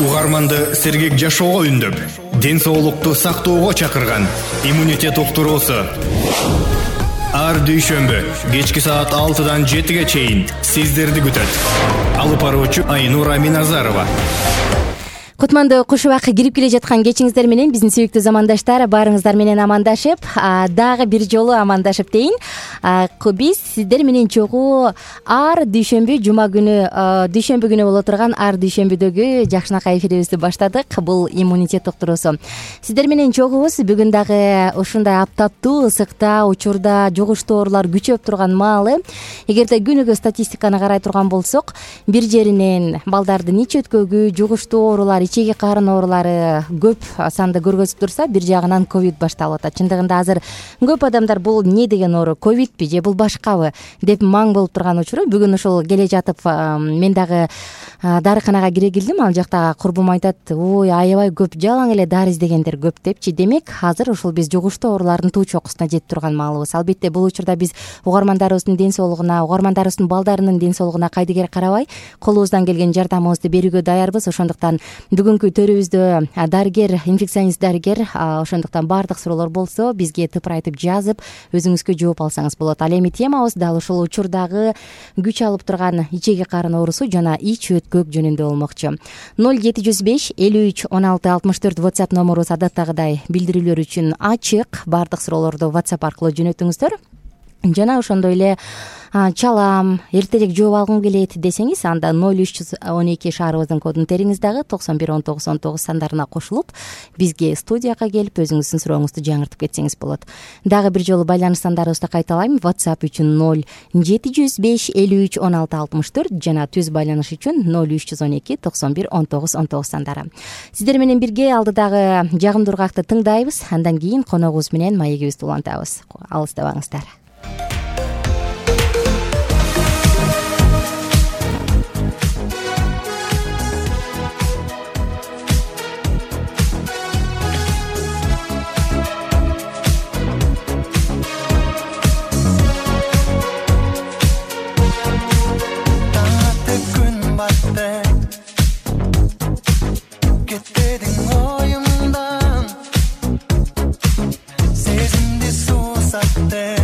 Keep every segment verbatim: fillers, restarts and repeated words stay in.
Угарманды сергек жашоого үндөп, ден соолукту сактоого чакырган иммунитет уктуруусу. Ар дүйшөмбү кечки саат алтыдан жетиге чейин сиздерди күтөт. Алып баруучу Айнура Миназарова. Кутмандуу куш убакка кирип келе жаткан кечиңиздер менен биздин сүйүктүү замандаштар, баарыңыздар менен амандашып, дагы бир жолу амандашып дейин. Биз сиздер менен чогуу ар дүйшөмбү жума күнү, дүйшөмбү күнү боло турган ар дүйшөмбүдөгү жакшынакай эфирибизди баштадык. Бул иммунитет уктуруусу. Сиздер менен чогуубуз. Бүгүн дагы ушундай аптаптуу ысыкта, учурда жугуштуу оорулар күчөп турган маалы. Эгерде күнүгө статистиканы карай турган болсок, бир жеринен балдардын ич өткөгү, жугуштуу оорулар, ичеги карын оорулары көп санды көргөзүп турса, бир жагынан ковид башталып атат. Чындыгында азыр көп адамдар бул эмне деген оору, ковидпи же бул башкабы деп маң болуп турган учуру. Бүгүн ошол келе жатып мен дагы дарыканага кире келдим. Ал жакта курбум айтат: "Ой, аябай көп, жалаң эле дары издегендер көп" депчи. Демек, азыр ушул биз жугуштуу оорулардын туу чокусуна жетип турган маалыбыз. Албетте, бул учурда биз угармандарыбыздын ден соолугуна, угармандарыбыздын балдарынын ден соолугуна кайдыгер карабай, колубуздан келген жардамыбызды берүүгө даярбыз. Ошондуктан бүгүнкү төрүбүздө дарыгер, инфекционист дарыгер, ошондуктан баардык суроолор болсо бизге тыпырайтып жазып, өзүңүзгө жооп алсаңыз болот. Ал эми темабыз дал ушул учурдагы күч алып турган ичеги карын оорусу жана ич өткөк жөнүндө болмокчу. ноль жети жүз беш элүү үч он алты алтымыш төрт WhatsApp номерубуз адаттагыдай билдирүүлөр үчүн ачык. Баардык суроолорду WhatsApp аркылуу жөнөтүңүздөр. Жана ошондой эле чалам, эртерээк жооп алгым келет десеңиз, анда ноль үч жүз он эки шаарыбыздын кодун териңиз дагы токсон бир он тогуз он тогуз сандарына кошулуп, бизге студияга келип өзүңүздүн сурооңузду жаңыртып кетсеңиз болот. Дагы бир жолу байланыш сандарыбызды кайталайм. WhatsApp үчүн ноль жети жүз беш элүү үч он алты алтымыш төрт жана түз байланыш үчүн ноль үч жүз он эки токсон бир он тогуз он тогуз сандары. Сиздер менен бирге алдыдагы жагымдуу ургакты тыңдайбыз. Андан кийин коногубуз менен маегибизди улантабыз. Алыстабаңыздар. Кетпедің ойымдан, сезімде сусатты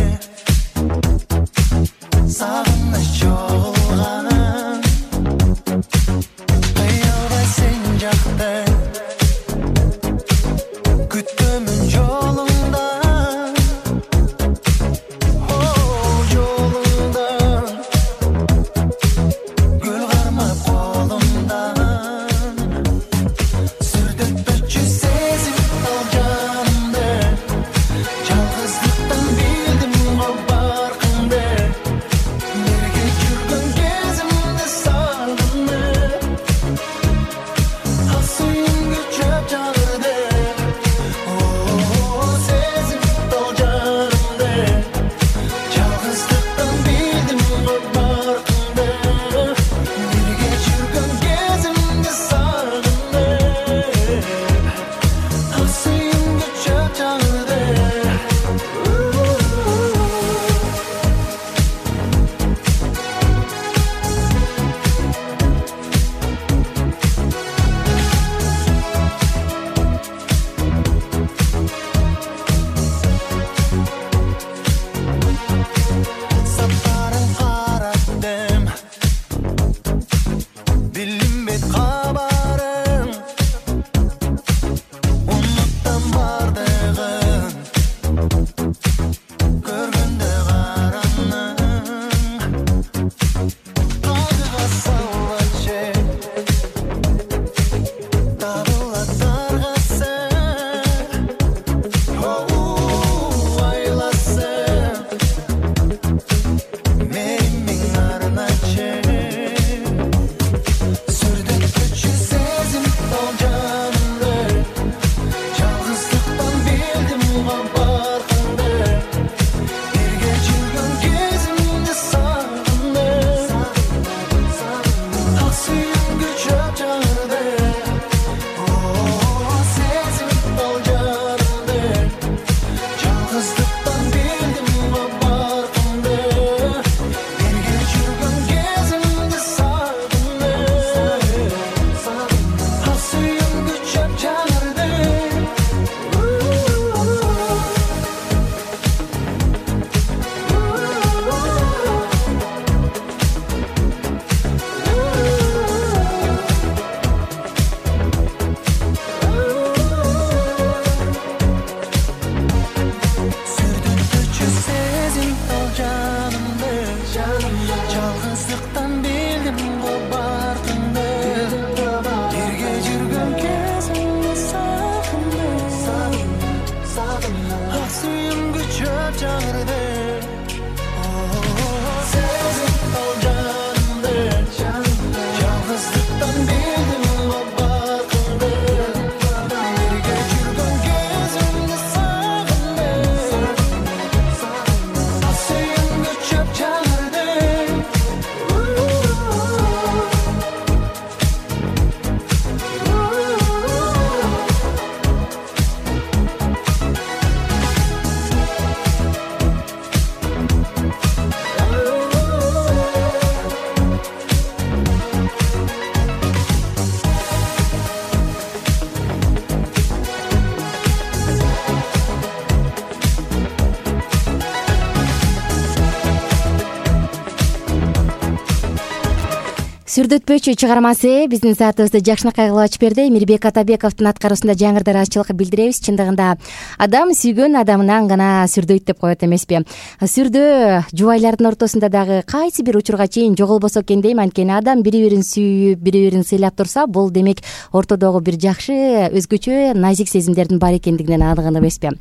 Сүрдөтпөчү чыгармасы биздин саатыбызды жакшынакай кылып ачып берди. Мирбек Атабековдун аткаруусунда жаңырда ыраазычылык билдиребиз. Чындыгында адам сүйгөн адамынан гана сүрдөйт деп коет эмеспи? Сүрдөө жубайлардын ортосунда дагы кайсы бир учурга чейин жоголбосо экен дейм. Анткени адам бири бирин сүйүп, бири бирин сыйлап турса, бул демек ортодогу бир жакшы, өзгөчө назик сезимдердин бар экендигинен аныгын эмеспи?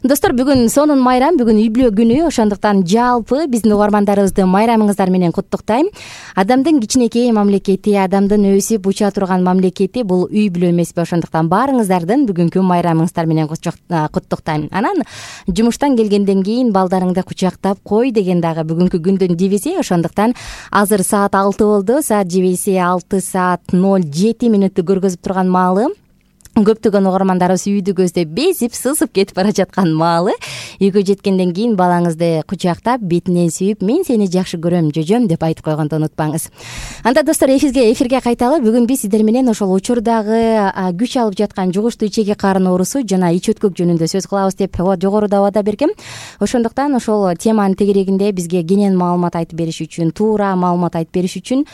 Достор, бүгүн сонун майрам, бүгүн үй бүлө күнү. Ошондуктан жалпы биздин угармандарыбызды майрамыңыздар менен куттуктайм. Адамдын кичинекей мамлекети, адамдын өсүп уча турган мамлекети бул үй бүлө эмеспи? Ошондуктан баарыңыздардын бүгүнкү майрамыңыздар менен куттуктайм. Анан жумуштан келгенден кийин балдарыңды кучактап кой деген дагы бүгүнкү күндүн девизи. Ошондуктан азыр саат алты болду. Саат жебейси алты саат ноль жети мүнөттү көргөзүп турган маалы. Көптөгөн угармандарыбыз үйдү көздөп безип, сызып кетип бара жаткан маалы. Үйгө жеткенден кийин балаңызды кучактап, бетинен сүйүп, мен сени жакшы көрөм, жөжөм деп айтып койгонду унутпаңыз. Анда достор, эфирге эфирге кайталы. Бүгүн биз сиздер менен ошол учурдагы күч алып жаткан жугуштуу ичеги карын оорусу жана ич өткөк жөнүндө сөз кылабыз деп жогоруда абада бергем. Ошондуктан ошол теманын тегерегинде бизге кенен маалымат айтып бериш үчүн, туура маалымат айтып бериш үчүн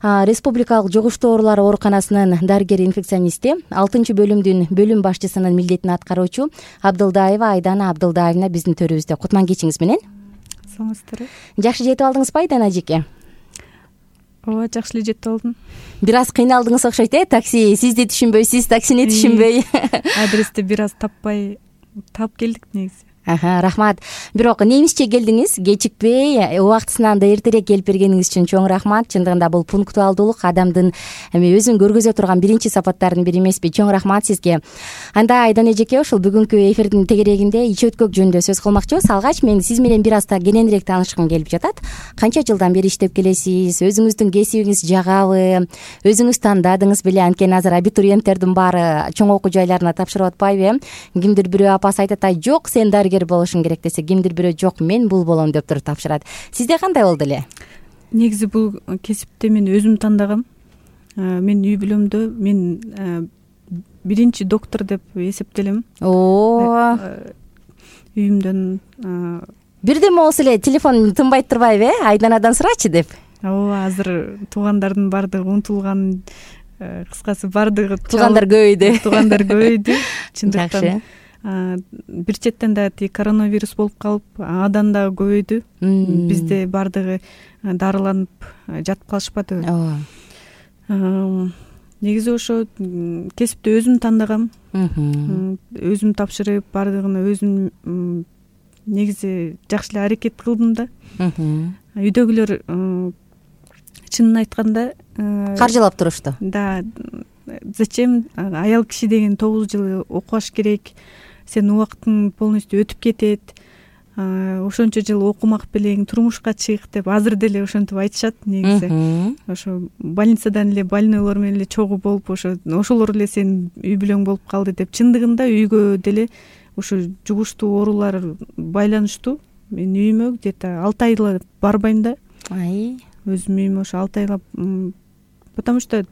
Республикалык жугуштуу оорулар ооруканасынын дарыгер-инфекционисти, алтынчы бөлүмдүн бөлүм башчысынын милдетин аткаруучу Абдылдаева Айдана Абдылдаевна биздин төрүбүздө. Кутман кечиңиз менен. Саңыздар. Жакшы жетип алдыңызбы Айдана эжеке? Ооба, жакшы эле жетип алдым. Бир аз кыйналдыңыз окшойт, э? Такси сизди түшүнбөй, сиз таксини түшүнбөй. Адрести бир аз таппай таап келдик негизи. Аха, рахмат. Бирок немисче келдиңиз, кечикпей, убактысынан да эртерээк келип бергениңиз үчүн чоң рахмат. Чындыгында бул пунктуалдуулук адамдын эми өзүн көргөзө турган биринчи сапаттардын бири эмеспи? Чоң рахмат сизге. Анда Айдан эжеке, ушул бүгүнкү эфирдин тегерегинде ич өткөк жөнүндө сөз кылмакчыбыз. Алгач мен сиз менен бир аз да кененирээк таанышкым келип жатат. Канча жылдан бери иштеп келесиз? Өзүңүздүн кесибиңиз жагабы? Өзүңүз тандадыңыз беле? Анткени азыр абитуриенттердин баары чоң окуу жайларына тапшырып атпайбы? Кимдир бирөө апасы айтат, ай жок, сен болушуң керек десе, кимдир бирөө жок, мен бул болом деп туруп тапшырат. Сизде кандай болду эле? Негизи бул кесипти мен өзүм тандагам. Мен үй бүлөмдө мен биринчи доктор деп эсептелем. О, үйүмдөн бирдеме болсо эле телефон тынбай турбайбы, э? Айданадан сурачы деп. Ооба, азыр туугандардын баардыгы унутулган, кыскасы баардыгы туугандар көбөйдү. Туугандар көбөйдү. Чындыктан Жакшы. Бир четтен да тиги коронавирус болуп калып, адан дагы көбөйдү. Бизде баардыгы дарыланып жатып калышпады. Ооба. Негизи ошо кесипти өзүм тандагам. Өзүм тапшырып, баардыгын өзүм негизи жакшы эле аракет кылдым да. Үйдөгүлөр чынын айтканда каржылап турушту. Да, зачем, аял киши деген тогуз жыл окубаш керек, сен убактың полностью өтүп кетет, ошончо жыл окумак белең, турмушка чык деп азыр деле ошентип айтышат негизи. Ошо больницадан эле больнойлор менен эле чогуу болуп, ошо ошолор эле сенин үй бүлөң болуп калды деп. Чындыгында үйгө деле ошо жугуштуу оорулар байланыштуу. Мен үйүмө где-то алты айла барбайм да. Ай, өзүм үйүмө ошо алты айла, потому что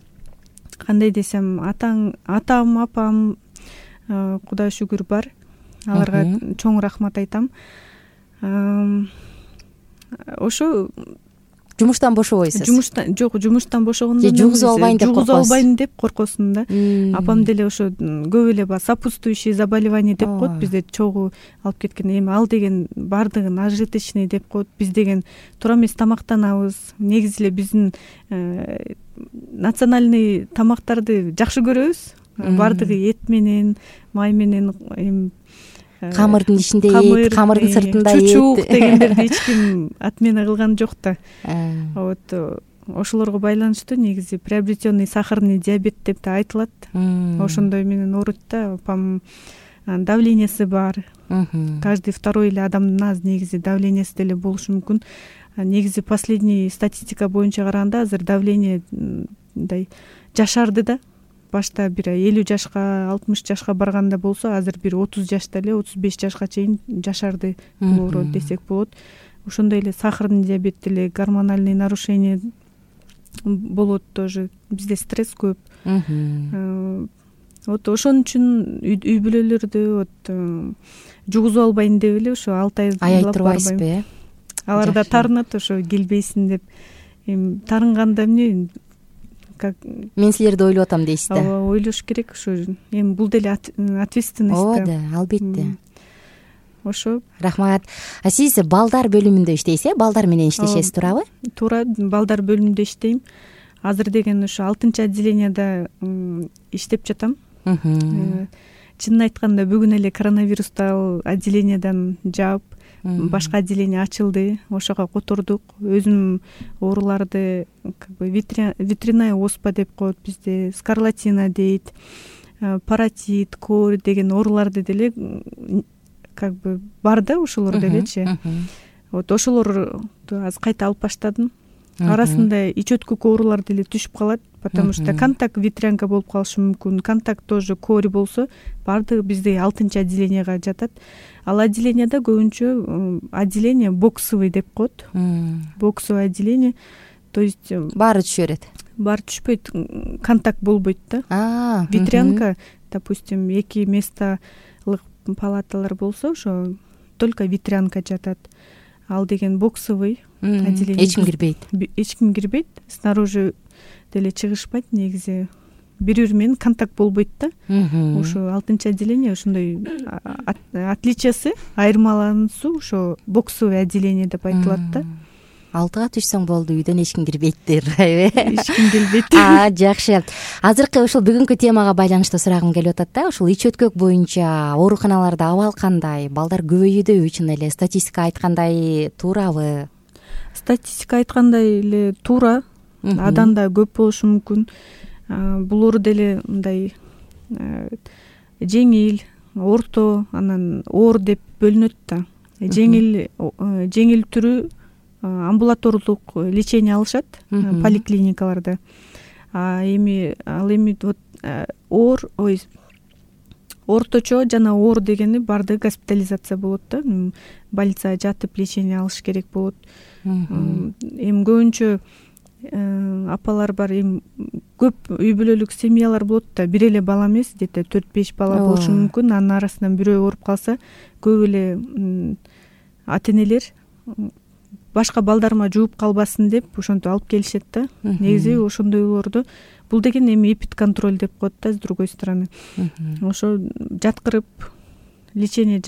кандай десем, атаң, атам, апам, Кудай шүгүр бар. Аларга чоң рахмат айтам. Ошо жумуштан бошобойсуз? Жумуштан жок, жумуштан бошогондо же жугузуп албайм деп коркосуз? Жугузуп албайм деп коркосун да. Апам деле ошо көп эле сопутствующие заболевания деп коет, бизде чогуу алып кеткен. Эми ал деген баардыгын ажиточный деп коет. Биз деген туура эмес тамактанабыз. Негизи эле биздин национальный тамактарды жакшы көрөбүз. Баардыгы эт менен, май менен, эми камырдын ичинде эт, камырдын сыртында эт, чучук дегендерди эч ким отмена кылган жок да. Вот ошолорго байланыштуу негизи приобретенный сахарный диабет деп да айтылат. Ошондой менен ооруйт да. Апам давлениясы бар. Каждый второй эле адамдын аз негизи давлениясы деле болушу мүмкүн. Негизи последний статистика боюнча караганда азыр давление мындай жашарды да. Башта бир элүү жашка, алтымыш жашка барганда болсо, азыр бир отуз жашта эле, отуз беш жашка чейин жашарды оору десек болот. Ошондой эле сахарный диабет деле, гормональный нарушение болот тоже. Бизде стресс көп. Вот ошон үчүн үй бүлөлөрдү вот жугузуп албайм деп эле ошо алты ай аяй турбайсызбы? Алар да тарынат ошо келбейсиң деп. Эми тарынганда эмне как мен силерди ойлоп атам дейсиз да. ооба, ойлош керек ушу. Эми бул деле ответственность да. ооба да, албетте. Ошо. Рахмат. А сиз балдар бөлүмүндө иштейсиз э? Балдар менен иштешесиз, туурабы? Туура, балдар бөлүмүндө иштейм. Азыр деген ушу алтынчы отделенияда иштеп жатам. Чынын айтканда бүгүн эле коронавирусту ал отделениядан жаап, башка отделение ачылды. Ошого котордук. Өзүм ооруларды как бы ветряная оспа деп коет бизде, скарлатина дейт, паротит, кор деген ооруларды деле как бы бар да, ошолор делечи. Вот ошолорду азыр кайта алып баштадым. Арасында ич өткүк оорулар деле түшүп калат, потому что контакт ветрянка болуп калышы мүмкүн. Контакт тоже кори болсо, баардыгы бизде алтынчы отделенияга жатат. Ал отделенияда көбүнчө отделение боксовый деп коет. Боксовый отделение. То есть баары түшө берет. Баары түшпөйт, контакт болбойт да. Ветрянка, допустим, эки месталык палаталар болсо, ошо только ветрянка жатат. Ал деген боксовый отделение. Эч ким кирбейт. Эч ким кирбейт. Снаружи деле чыгышпайт негизи. Бири-бири менен контакт болбойт да. Ошо алтынчы отделение ошондой отличиясы, айырмалануусу ошо боксовый отделение деп айтылат да. Алтыга түшсөң болду, үйдөн эч ким кирбейттир, айбы? Эч ким келбейт. А, жакшы. Азыркы ушул бүгүнкү темага байланыштуу сурагым келип атат да. Ушул ич өткөк боюнча ооруканаларда абал кандай? Балдар көбөйүүдө чын эле статистика айткандай туурабы? Статистика айткандай эле туура. Адан да көп болушу мүмкүн. Бул оору деле мындай жеңил, орто, анан оор деп бөлүнөт да. Жеңил жеңил түрү амбулаторлук лечение алышат поликлиникаларда. А эми ал эми вот оор, ой, орточо жана оор дегени баардыгы госпитализация болот да. Больницага жатып лечение алыш керек болот. Эми көбүнчө апалар бар, эми көп үй бүлөлүк семьялар болот да, бир эле бала эмес, где-то төрт беш бала болушу мүмкүн. Анын арасынан бирөө ооруп калса, көп эле ата-энелер башка балдарыма жууп калбасын деп ошентип алып келишет да. Негизи ошондойлорду бул деген эми эпидконтроль деп коет да, с другой стороны. Ошо жаткырып лечение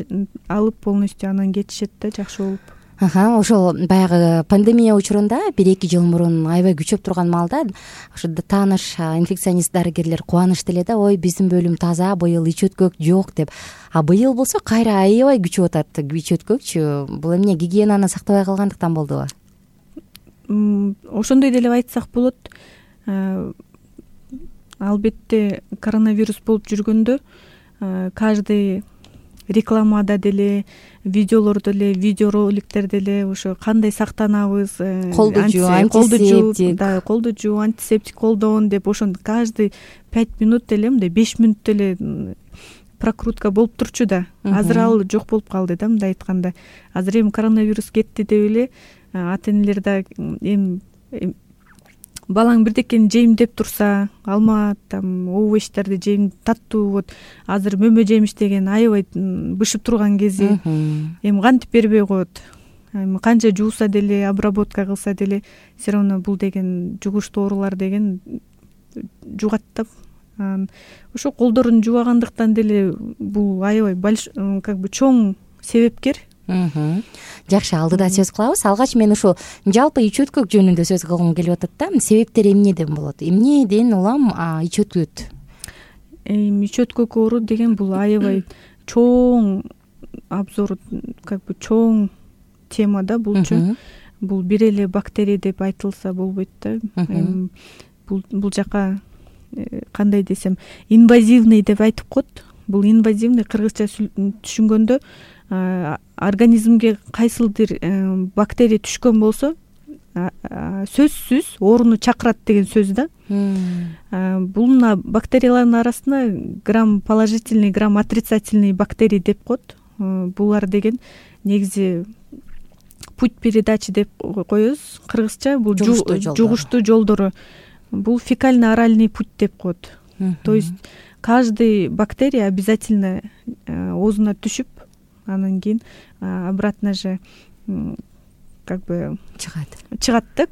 алып полностью анан кетишет да, жакшы болуп. Аха, ошол баягы пандемия учурунда бир-эки жыл мурун аябай күчөп турган маалда ошо тааныш инфекционист дарыгерлер кубанычты эле да, ой, биздин бөлүм таза, быйыл ич өткөк жок деп. А быйыл болсо кайра аябай күчөп атат ич өткөкчү. Бул эмне, гигиенаны сактабай калгандыктан болдубу? Ошондой деле айтсак болот. Албетте коронавирус болуп жүргөндө каждый рекламада деле, видеолордо деле, видеороликтер деле ошо кандай сактанабыз, колду жуу, антисептик, да, колду жуу, антисептик колдон деп ошондо каждый пять минут деле, мындай беш минут деле прокрутка болуп турчу да. Азыр ал жок болуп калды да, мындай айтканда. Азыр эми коронавирус кетти деп эле ата-энелер да эми балаң бирдекени жейм деп турса, алма, там, овощдарды жейм, таттуу, вот азыр мөмө жемиш деген аябай бышып турган кези. Эми кантип бербей коет? Эми канча жууса деле, обработка кылса деле, все равно бул деген жугуштуу оорулар деген жугат да. Ошо колдорун жубагандыктан деле бул аябай как бы чоң себепкер. Жакшы, алдыда сөз кылабыз. Алгач мен ушу жалпы ич өткөк жөнүндө сөз кылгым келип атат да. Себептери эмнеден болот? Эмнеден улам ич өткөт? Эми ич өткөк оору деген бул аябай чоң обзор, как бы чоң тема да булчу. Бул бир эле бактерия деп айтылса болбойт да. Бул бул жака кандай десем, инвазивный деп айтып коет. Бул инвазивный кыргызча түшүнгөндө организмге кайсылдыр бактерия түшкөн болсо сөзсүз ооруну чакырат деген сөз да. Бул бактериялардын арасында грамм положительный, грамм отрицательный бактерий деп коет. Булар деген негизи путь передачи деп коебуз кыргызча. Бул жугуштуу жолдору. Бул фекально-оральный путь деп коет. То есть каждый бактерия обязательно оозуна түшүп, анан кийин обратно же как бы чыгат. Чыгат да,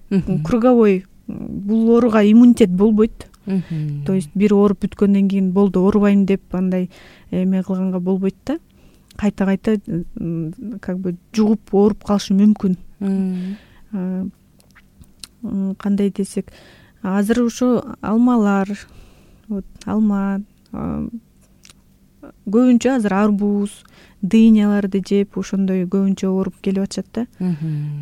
круговой бул ооруга иммунитет болбойт. То есть бир ооруп бүткөндөн кийин болду оорубайм деп андай эме кылганга болбойт да, кайта кайта как бы жугуп ооруп калышы мүмкүн. Кандай десек, азыр ошо алмалар, вот алма, көбүнчө азыр арбуз, дыйняларды жеп ошондой көбүнчө ооруп келип атышат да.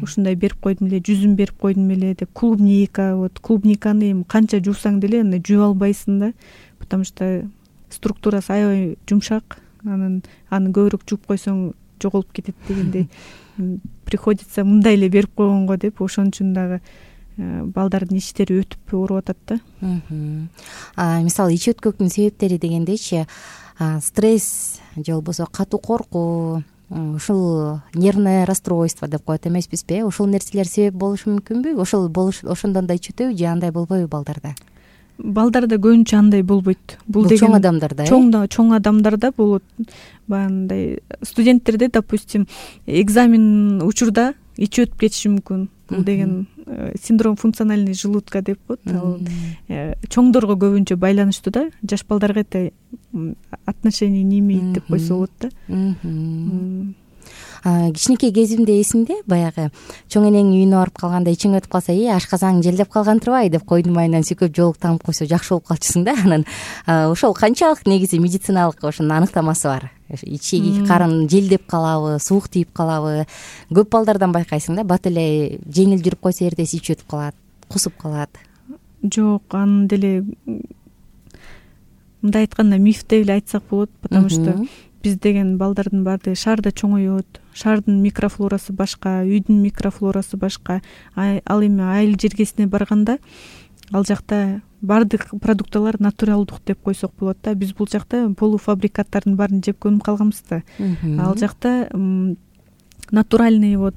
Ушундай берип койдум эле, жүзүм берип койдум эле деп. Клубника, вот клубниканы эми канча жуусаң деле андай жуп албайсың да, потому что структурасы аябай жумшак. Анан аны көбүрөөк жууп койсоң жоголуп кетет дегендей. Приходится мындай эле берип койгонго деп, ошон үчүн дагы балдардын иштери өтүп ооруп атат да. Мисалы ич өткөктүн себептери дегендейчи, стресс же болбосо катуу коркуу, ушул нервное расстройство деп коет эмеспизби? Ушул нерселер себеп болушу мүмкүнбү? Ошол болуш ошондон да ич өтөбү же андай болбойбу балдарда? Балдарда көбүнчө андай болбойт. Бул деген чоң адамдарда, чоң чоң адамдарда болот. Баягындай студенттерде, допустим, экзамен учурда ич өтүп кетиши мүмкүн. Бул деген синдром функциональный желудка деп коет. Ал чоңдорго көбүнчө байланыштуу да, жаш балдарга это отношение не имеет деп койсо болот да. Кичинекей кезимде эсимде, баягы чоң энеңин үйүнө барып калганда ичиң өтүп калса, "Э, ашказаң желдеп калган турбайбы?" деп койдун майынан сүйкөп жоолук таңып койсо жакшы болуп калчусуң да. Анан ошол канчалык негизи медициналык ошонун аныктамасы бар? Ичеги карын желдеп калабы, суук тийип калабы? Көп балдардан байкайсың да, бат эле жеңил жүрүп койсо эртеси ич өтүп калат, кусуп калат. Жок, аны деле мындай айтканда миф деп эле айтсак болот, потому что биз деген балдардын баардыгы шаарда чоңоет. Шаардын микрофлорасы башка, үйдүн микрофлорасы башка. Ал эми айыл жергесине барганда ал жакта баардык продукталар натуралдык деп койсок болот да. Биз бул жакта полуфабрикаттардын баарын жеп көнүп калганбыз да. Ал жакта натуральный, вот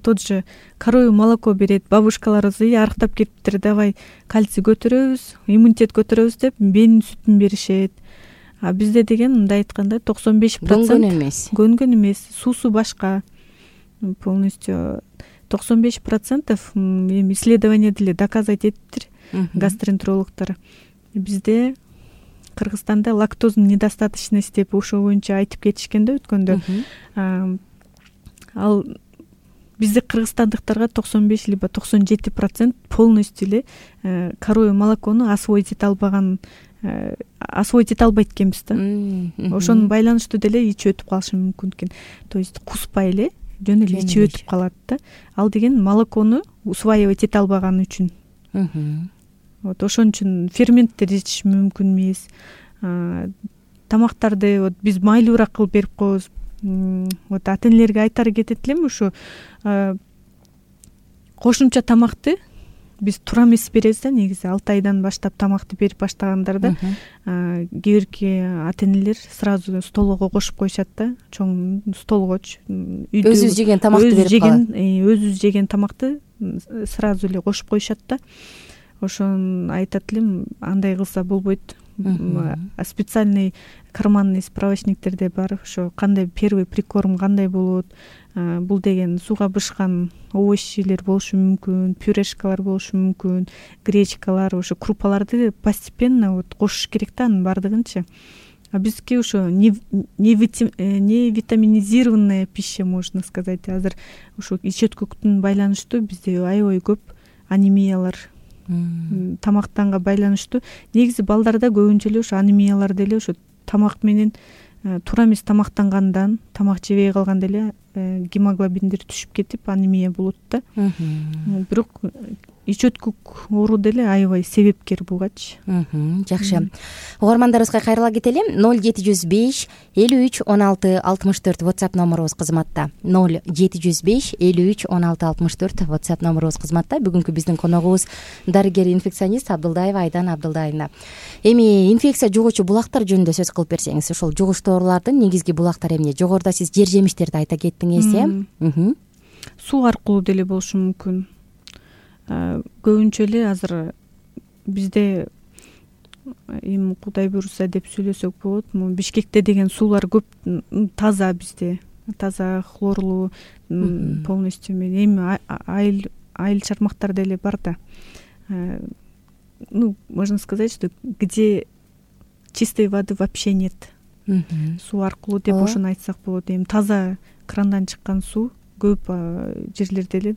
тот же коровье молоко берет. Бабушкаларыбыз арыктап кетиптир, давай кальций көтөрөбүз, иммунитет көтөрөбүз деп бенин сүтүн беришет. А бизде деген мындай айтканда токсон беш процент көнгөн эмес. Көнгөн эмес, суусу башка. Полностью токсон беш процентов эми исследование деле доказать этиптир гастроэнтерологдор. Бизде Кыргызстанда лактозанын недостаточности деп ошо боюнча айтып кетишкен да өткөндө. Ал бизде кыргызстандыктарга токсон беш либо токсон жети процент полностью эле коровье молокону освоить эте албаган, освоить эте албайт экенбиз да. Ошонун байланыштуу деле ичи өтүп калышы мүмкүн экен. То есть куспай эле жөн эле ичи өтүп калат да. Ал деген молокону усваивать эте албаганы үчүн. Вот ошон үчүн ферменттер жетиш мүмкүн эмес. Тамактарды вот биз майлуураак кылып берип коебуз. Вот ата-энелерге айтары кетет элем, ушу кошумча тамакты биз туура эмес беребиз да. Негизи алты айдан баштап тамакты берип баштагандарда кээ бирки ата-энелер сразу столго кошуп коюшат да. Чоң столгочу өзүбүз жеген тамакты берип калат. Өзүбүз жеген тамакты сразу эле кошуп коюшат да. Ошон айтат элем, андай кылса болбойт. Специальный карманный справочниктерде бар, ошо кандай первый прикорм кандай болот. Бул деген сууга бышкан овощилер болушу мүмкүн, пюрешкалар болушу мүмкүн, гречкалар, ошо крупаларды постепенно вот кошуш керек да, анын баардыгынчы. А бизге ошо не витаминизированная пища, можно сказать. Азыр ошо ич өткөктүн байланыштуу бизде аябай көп анемиялар, тамактанга байланыштуу. Негизи балдарда көбүнчө эле ошо анемиялар деле ошо тамак менен туура эмес тамактангандан, тамак жебей калганда эле гемоглобиндер түшүп кетип анемия болот да. Бирок ич өткөк оору деле аябай себепкер бугачы. Жакшы. Угармандарыбызга кайрыла кетели. ноль жети жүз беш элүү үч он алты алтымыш төрт WhatsApp номерубуз кызматта. ноль жети жүз беш элүү үч он алты алтымыш төрт WhatsApp номерубуз кызматта. Бүгүнкү биздин коногубуз дарыгер инфекционист Абдылдаева Айдан Абдылдаевна. Эми инфекция жугуучу булактар жөнүндө сөз кылып берсеңиз, ошол жугуштуу оорулардын негизги булактары эмне? Жогоруда сиз жер жемиштерди айта кеттиңиз, э? Суу аркылуу деле болушу мүмкүн. Көбүнчө эле азыр бизде эми Кудай буйруса деп сүйлөсөк болот. Бишкекте деген суулар көп, таза бизде. Таза, хлорлуу, полностью эми айыл айыл чармактар деле бар да. ну можно сказать, что где чистой воды вообще нет, суу аркылуу деп ошону айтсак болот. Эми таза крандан чыккан суу көп жерлерде эле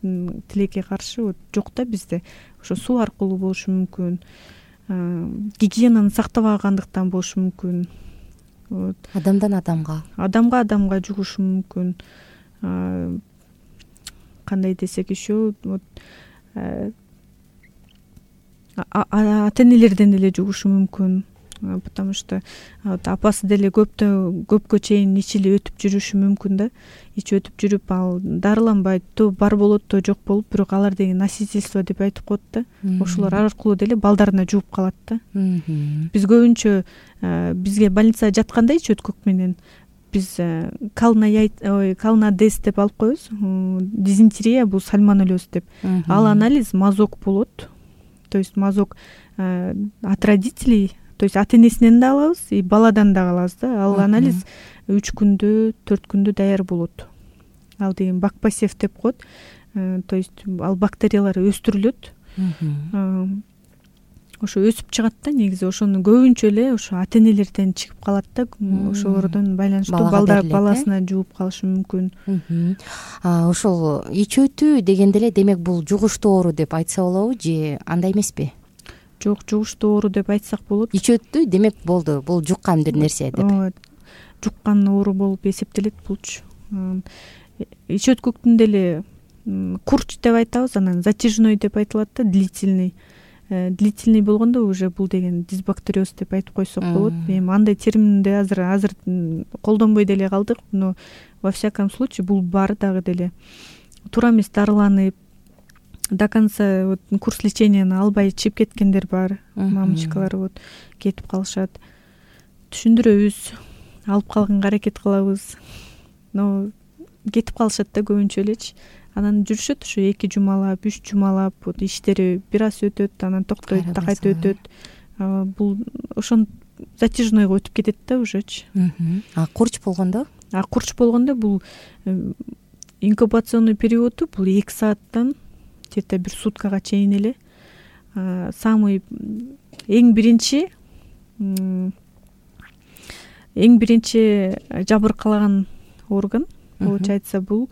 тилекке каршы вот жок да бизде. Ошо суу аркылуу болушу мүмкүн, гигиенаны сактабагандыктан болушу мүмкүн. Вот адамдан адамга адамга адамга жугушу мүмкүн. Кандай десек еще, вот ата энелерден деле жугушу мүмкүн, потому что апасы деле көптө көпкө чейин ичи эле өтүп жүрүшү мүмкүн да. Ичи өтүп жүрүп ал дарыланбайт, то бар болот, то жок болуп, бирок алар деген носительство деп айтып коет да. Ошолор аркылуу деле балдарына жууп калат да. Биз көбүнчө бизге больницага жатканда ичи өткөк менен биз калнадез деп алып коебуз. Дизентерия бул сальмонеллез деп. Ал анализ мазок болот. То есть мазок от родителей, то есть ата энесинен да алабыз, и баладан да алабыз да. Ал анализ үч күндө, төрт күндө даяр болот. Ал деген бакпасев деп коет. То есть ал бактериялар өстүрүлөт. Ошо өсүп чыгат да негизи. Ошону көбүнчө эле ошо ата энелерден чыгып калат да. Ошолордон байланыштуу балдар баласына жууп калышы мүмкүн. Ошол ич өтүү дегенде эле демек бул жугуштуу оору деп айтса болобу же андай эмеспи? Жок, жугуштуу оору деп айтсак болот. Ич өттү демек болду, бул жуккан бир нерсе деп. Ооба, жуккан оору болуп эсептелет булчу. Ич өткөктүн деле курч деп айтабыз, анан затяжной деп айтылат да, длительный. Длительный болгондо уже бул деген дисбактериоз деп айтып койсок болот. Эми андай терминди азыр азыр колдонбой деле калдык, но во всяком случае бул бар дагы деле. Туура эмес дарыланып до конца вот курс леченияны албай чыгып кеткендер бар. Мамочкалар вот кетип калышат. Түшүндүрөбүз, алып калганга аракет кылабыз. Но кетип калышат да көбүнчө элечи. Анан жүрүшөт ушу эки жумалап, үч жумалап, вот иштери бир аз өтөт, анан токтойт, кайта өтөт. Бул ошон затяжнойго өтүп кетет да ужечи. А курч болгондо? А курч болгондо бул инкубационный периоду бул эки сааттан где-то бир суткага чейин эле. Самый эң биринчи эң биринчи жабыркалаган орган, получается, бул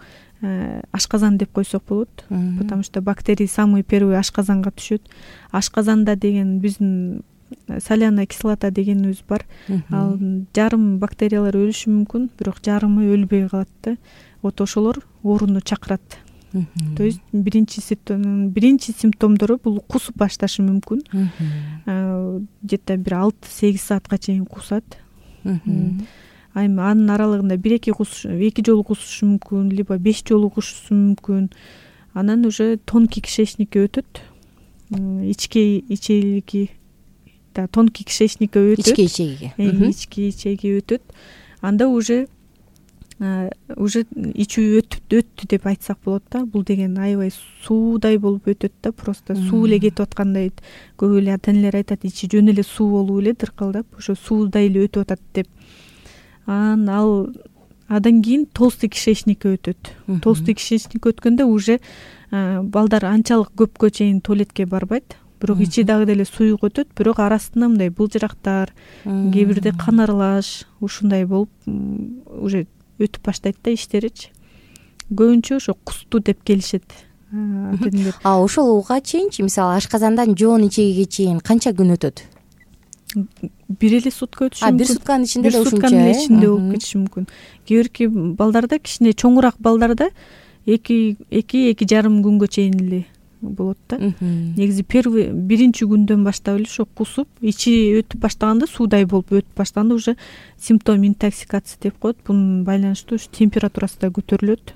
ашказан деп койсок болот. Потому что бактерии самый первый ашказанга түшөт. Ашказанда деген биздин соляная кислота дегенибиз бар. Ал жарым бактериялар өлүшү мүмкүн, бирок жарымы өлбөй калат да. Вот ошолор ооруну чакырат. То есть биринчи симптом, биринчи симптомдору бул кусуп башташы мүмкүн. Где-то бир алты сегиз саатка чейин кусат. Айм анын аралыгында бир эки кусуш, эки жолу кусушу мүмкүн, либо беш жолу кусушу мүмкүн. Анан уже тонкий кишечникке өтөт. Ички ичеги, да, тонкий кишечникке өтөт. Ички ичеги. Ички ичеги өтөт. Анда уже уже ичүү өтүп өттү деп айтсак болот да. Бул деген аябай суудай болуп өтөт да, просто суу эле кетип аткандай. Көп эле ата энелер айтат, ичи жөн эле суу болуп эле дыркылдап, ошо суудай эле өтүп атат деп. Анан ал адан кийин толстый кишечникке өтөт. Толстый кишечникке өткөндө уже балдар анчалык көпкө чейин туалетке барбайт. Бирок ичи дагы деле суюк өтөт, бирок арасында мындай былжырактар, кээ бирде кан аралаш, ушундай болуп уже өтүп баштайт да иштеричи. Көбүнчө ошо кусту деп келишет ата энелер. А ошолуга чейинчи, мисалы ашказандан жоон ичегиге чейин канча күн өтөт? Бир эле сутка өтүшү мүмкүн. А бир сутканын ичинде эле ушунча. Бир сутканын ичинде болуп кетиши мүмкүн. Кээ бирки балдарда, кичине чоңураак балдарда эки эки эки жарым күнгө чейин эле болот да. Негизи первый биринчи күндөн баштап эле ошо кусуп, ичи өтүп баштаганда, суудай болуп өтүп баштаганда уже симптом интоксикация деп коет. Бунун байланыштуу ушу температурасы да көтөрүлөт.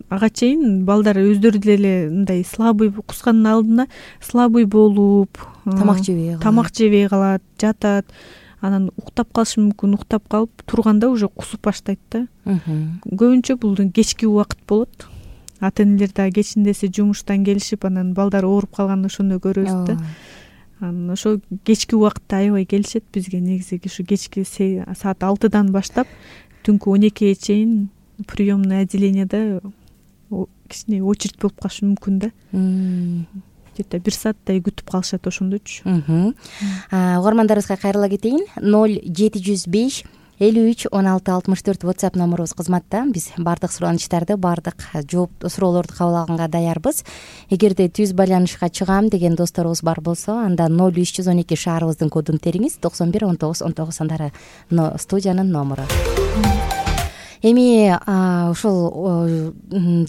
Ага чейин балдар өздөрү деле мындай слабый, кускандын алдында слабый болуп, тамак жебей калат. Тамак жебей калат, жатат. Анан уктап калышы мүмкүн, уктап калып турганда уже кусуп баштайт да. Көбүнчө бул кечки убакыт болот. Ата энелер да кечиндеси жумуштан келишип, анан балдар ооруп калганда ошону көрөбүз да. Анан ошо кечки убакытта аябай келишет бизге. Негизи ушу кечки саат алтыдан баштап түнкү он экиге чейин приемный отделенияда кичине очередь болуп калышы мүмкүн да. где то бир сааттай күтүп калышат ошондойчу. Угармандарыбызга кайрыла кетейин. ноль жети жүз беш элүү үч он алты алтымыш төрт WhatsApp номерубуз кызматта. Биз баардык суранычтарды, баардык жооп суроолорду кабыл алганга даярбыз. Эгерде түз байланышка чыгам деген досторубуз бар болсо, анда ноль үч жүз он эки шаарыбыздын кодун териңиз. токсон бир он тогуз он тогуз андары студиянын номеру. Эми ошол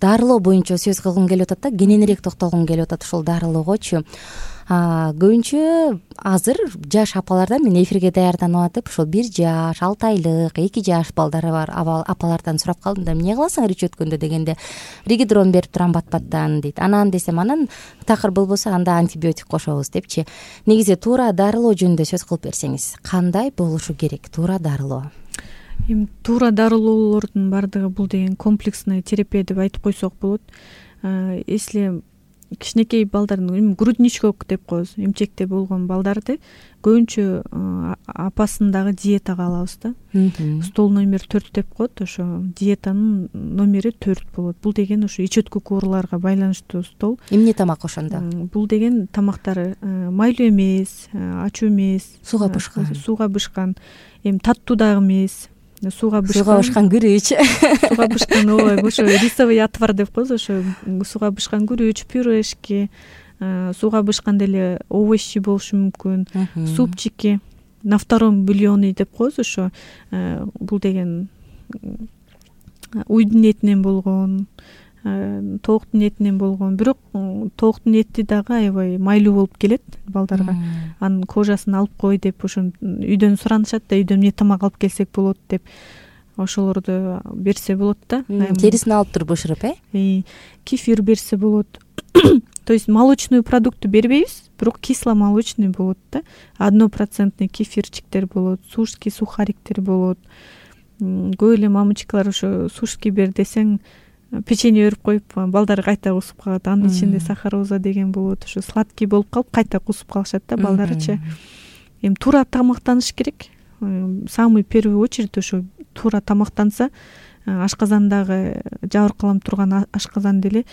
дарылоо боюнча сөз кылгым келип атат да, кененирээк токтолгум келип атат ушул дарылоогочу. Көбүнчө азыр жаш апалардан, мен эфирге даярданып атып, ушул бир жаш, алты айлык, эки жаш балдары бар апалардан сурап калдым да, эмне кыласың рич өткөндө дегенде, ригидрон берип турам бат-баттан дейт. Анан десем, анан такыр болбосо анда антибиотик кошобуз депчи. Негизи туура дарылоо жөнүндө сөз кылып берсеңиз, кандай болушу керек туура дарылоо? Эми туура дарылоолордун баардыгы бул деген комплексный терапия деп айтып койсок болот. Если кичинекей балдардын грудничок деп коебуз, эмчекте болгон балдарды көбүнчө апасындагы диетага алабыз да. Стол номер төрт деп коет, ошо диетанын номери төрт болот. Бул деген ошо ич өткү куурларга байланыштуу стол. Эмне тамак ошондо? Бул деген тамактары майлуу эмес, ачуу эмес, сууга бышкан, сууга бышкан, эми таттуу дагы эмес. Сууга бышкан, сууга бышкан күрүч, сууга бышкан, ооба, ошо рисовый отвар деп коебуз, ошо сууга бышкан күрүч, пюрешки, сууга бышкан деле овощи болушу мүмкүн, супчики, на втором бульоне деп коебуз, ошо бул деген уйдун этинен болгон, тооктун этинен болгон, бирок тооктун эти дагы аябай майлуу болуп келет балдарга. Анын кожасын алып кой деп ошо үйдөн суранышат да, үйдөн эмне тамак алып келсек болот деп, ошолорду берсе болот да. Терисин алып туруп бышырып, э? Кефир берсе болот. То есть молочный продукты бербейбиз, бирок кисломолочный болот да. Однопроцентный кефирчиктер болот, сушки сухариктер болот. Көп эле мамочкалар ошо сушки бер десең, печенье өрүп коюп, балдар кайта кусуп калат. Анын ичинде сахароза деген болот. Ошо сладкий болуп калып, кайта кусуп калышат да балдарычы. Эми туура тамактаныш керек. Самый первый очередь ошо туура тамактанса, ашказандагы жабыркаланып турган ашказан деле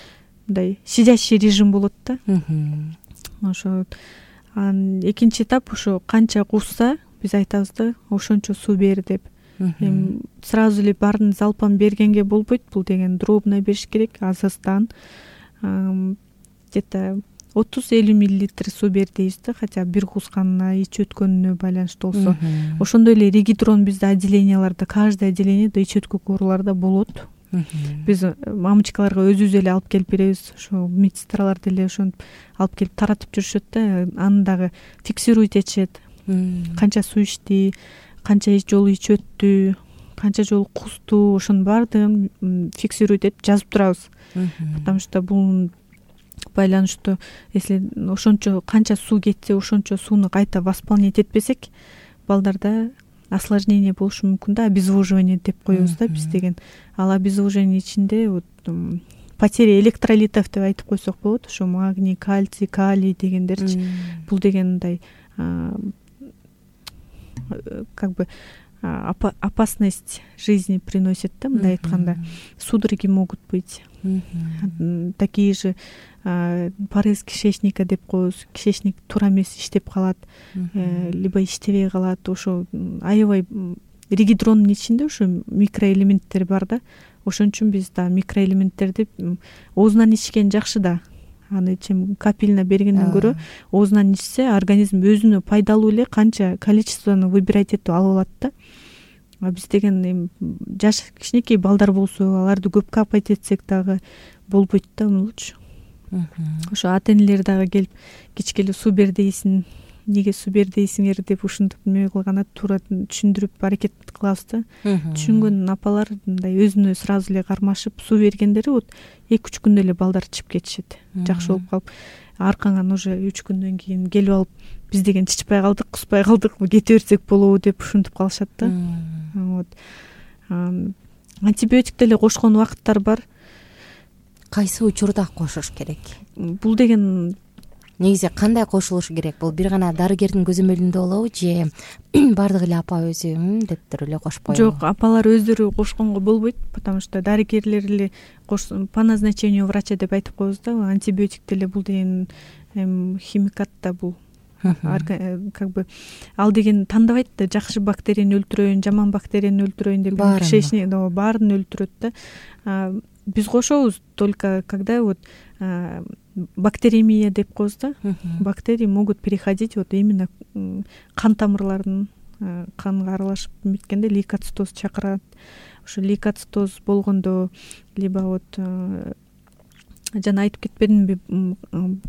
мындай сидящий режим болот да. Ошо экинчи этап ошо канча кусса, биз айтабыз да, ошончо суу бер деп. Эми сразу эле баарын залпан бергенге болбойт, бул деген дробно бериш керек, азыздан. Где-то отуз элүү миллилитр суу бер дейбиз да, хотя бир кусканына, ич өткөнүнө байланыштуу болсо. Ошондой эле ригидрон бизде отделенияларда, каждый отделениеде ич өткү куурларда болот. Биз мамочкаларга өзүбүз эле алып келип беребиз, ошо медсестралар деле ошентип алып келип таратып жүрүшөт да, аны дагы фиксируйт этишет. Канча суу ичти, канча жолу ич өттү, канча жолу кусту, ошонун баардыгын фиксируйт этип жазып турабыз. Потому что бул байланыштуу, если ошончо канча суу кетсе, ошончо сууну кайта восполнять этпесек, балдарда осложнение болушу мүмкүн да, обезвоживание деп коебуз да биз деген. Ал обезвоживание ичинде вот потеря электролитов деп айтып койсок болот, ошо магний, кальций, калий дегендерчи. Бул деген мындай как бы опасность жизни приносит да, мындай айтканда. Судороги могут быть. Такие же порез кишечника деп коебуз. Кишечник туура эмес иштеп калат, либо иштебей калат. Ошо аябай ригидрондун ичинде ошо микроэлементтер бар да. Ошон үчүн биз да микроэлементтерди оозунан ичкен жакшы да. Аны чем капельно бергенден көрө оозунан ичсе, организм өзүнө пайдалуу эле канча количествону выбирать этип алып алат да. А биз деген эми жаш кичинекей балдар болсо, аларды көп капать этсек дагы болбойт да, мулчу. Ошо ата-энелер дагы келип кичкеле суу бер дейсиң, неге суу бер дейсиңер деп ушинтип эме кылганда туура түшүндүрүп аракет кылабыз да. Түшүнгөн апалар мындай өзүнө сразу эле кармашып суу бергендери вот эки үч күндө эле балдар ичип кетишет. Жакшы болуп калып, аркаңан уже үч күндөн кийин келип алып, биз деген чычпай калдык, куспай калдык, кете берсек болобу деп ушинтип калышат да. Вот. Антибиотик деле кошкон убакыттар бар. Кайсы учурда кошуш керек? Бул деген негизи кандай кошулушу керек? Бул бир гана дарыгердин көзөмөлүндө болобу же бардык эле апа өзү деп туруп эле кошпойбу? Жок, апалар өздөрү кошконго болбойт, потому что дарыгерлер эле по назначению врача деп айтып коебуз да. Антибиотик деле бул деген эми химикат да бул как бы ал деген тандабайт да, жакшы бактерияны өлтүрөйүн, жаман бактерияны өлтүрөйүн деп кишечник баарын өлтүрөт да. Биз кошобуз только когда вот бактеремия деп коебуз да. Бактерии могут переходить вот именно кан тамырларын канга аралашып эметкенде лейкоцитоз чакырат. Ошо лейкоцитоз болгондо либо вот жана айтып кетпедимби,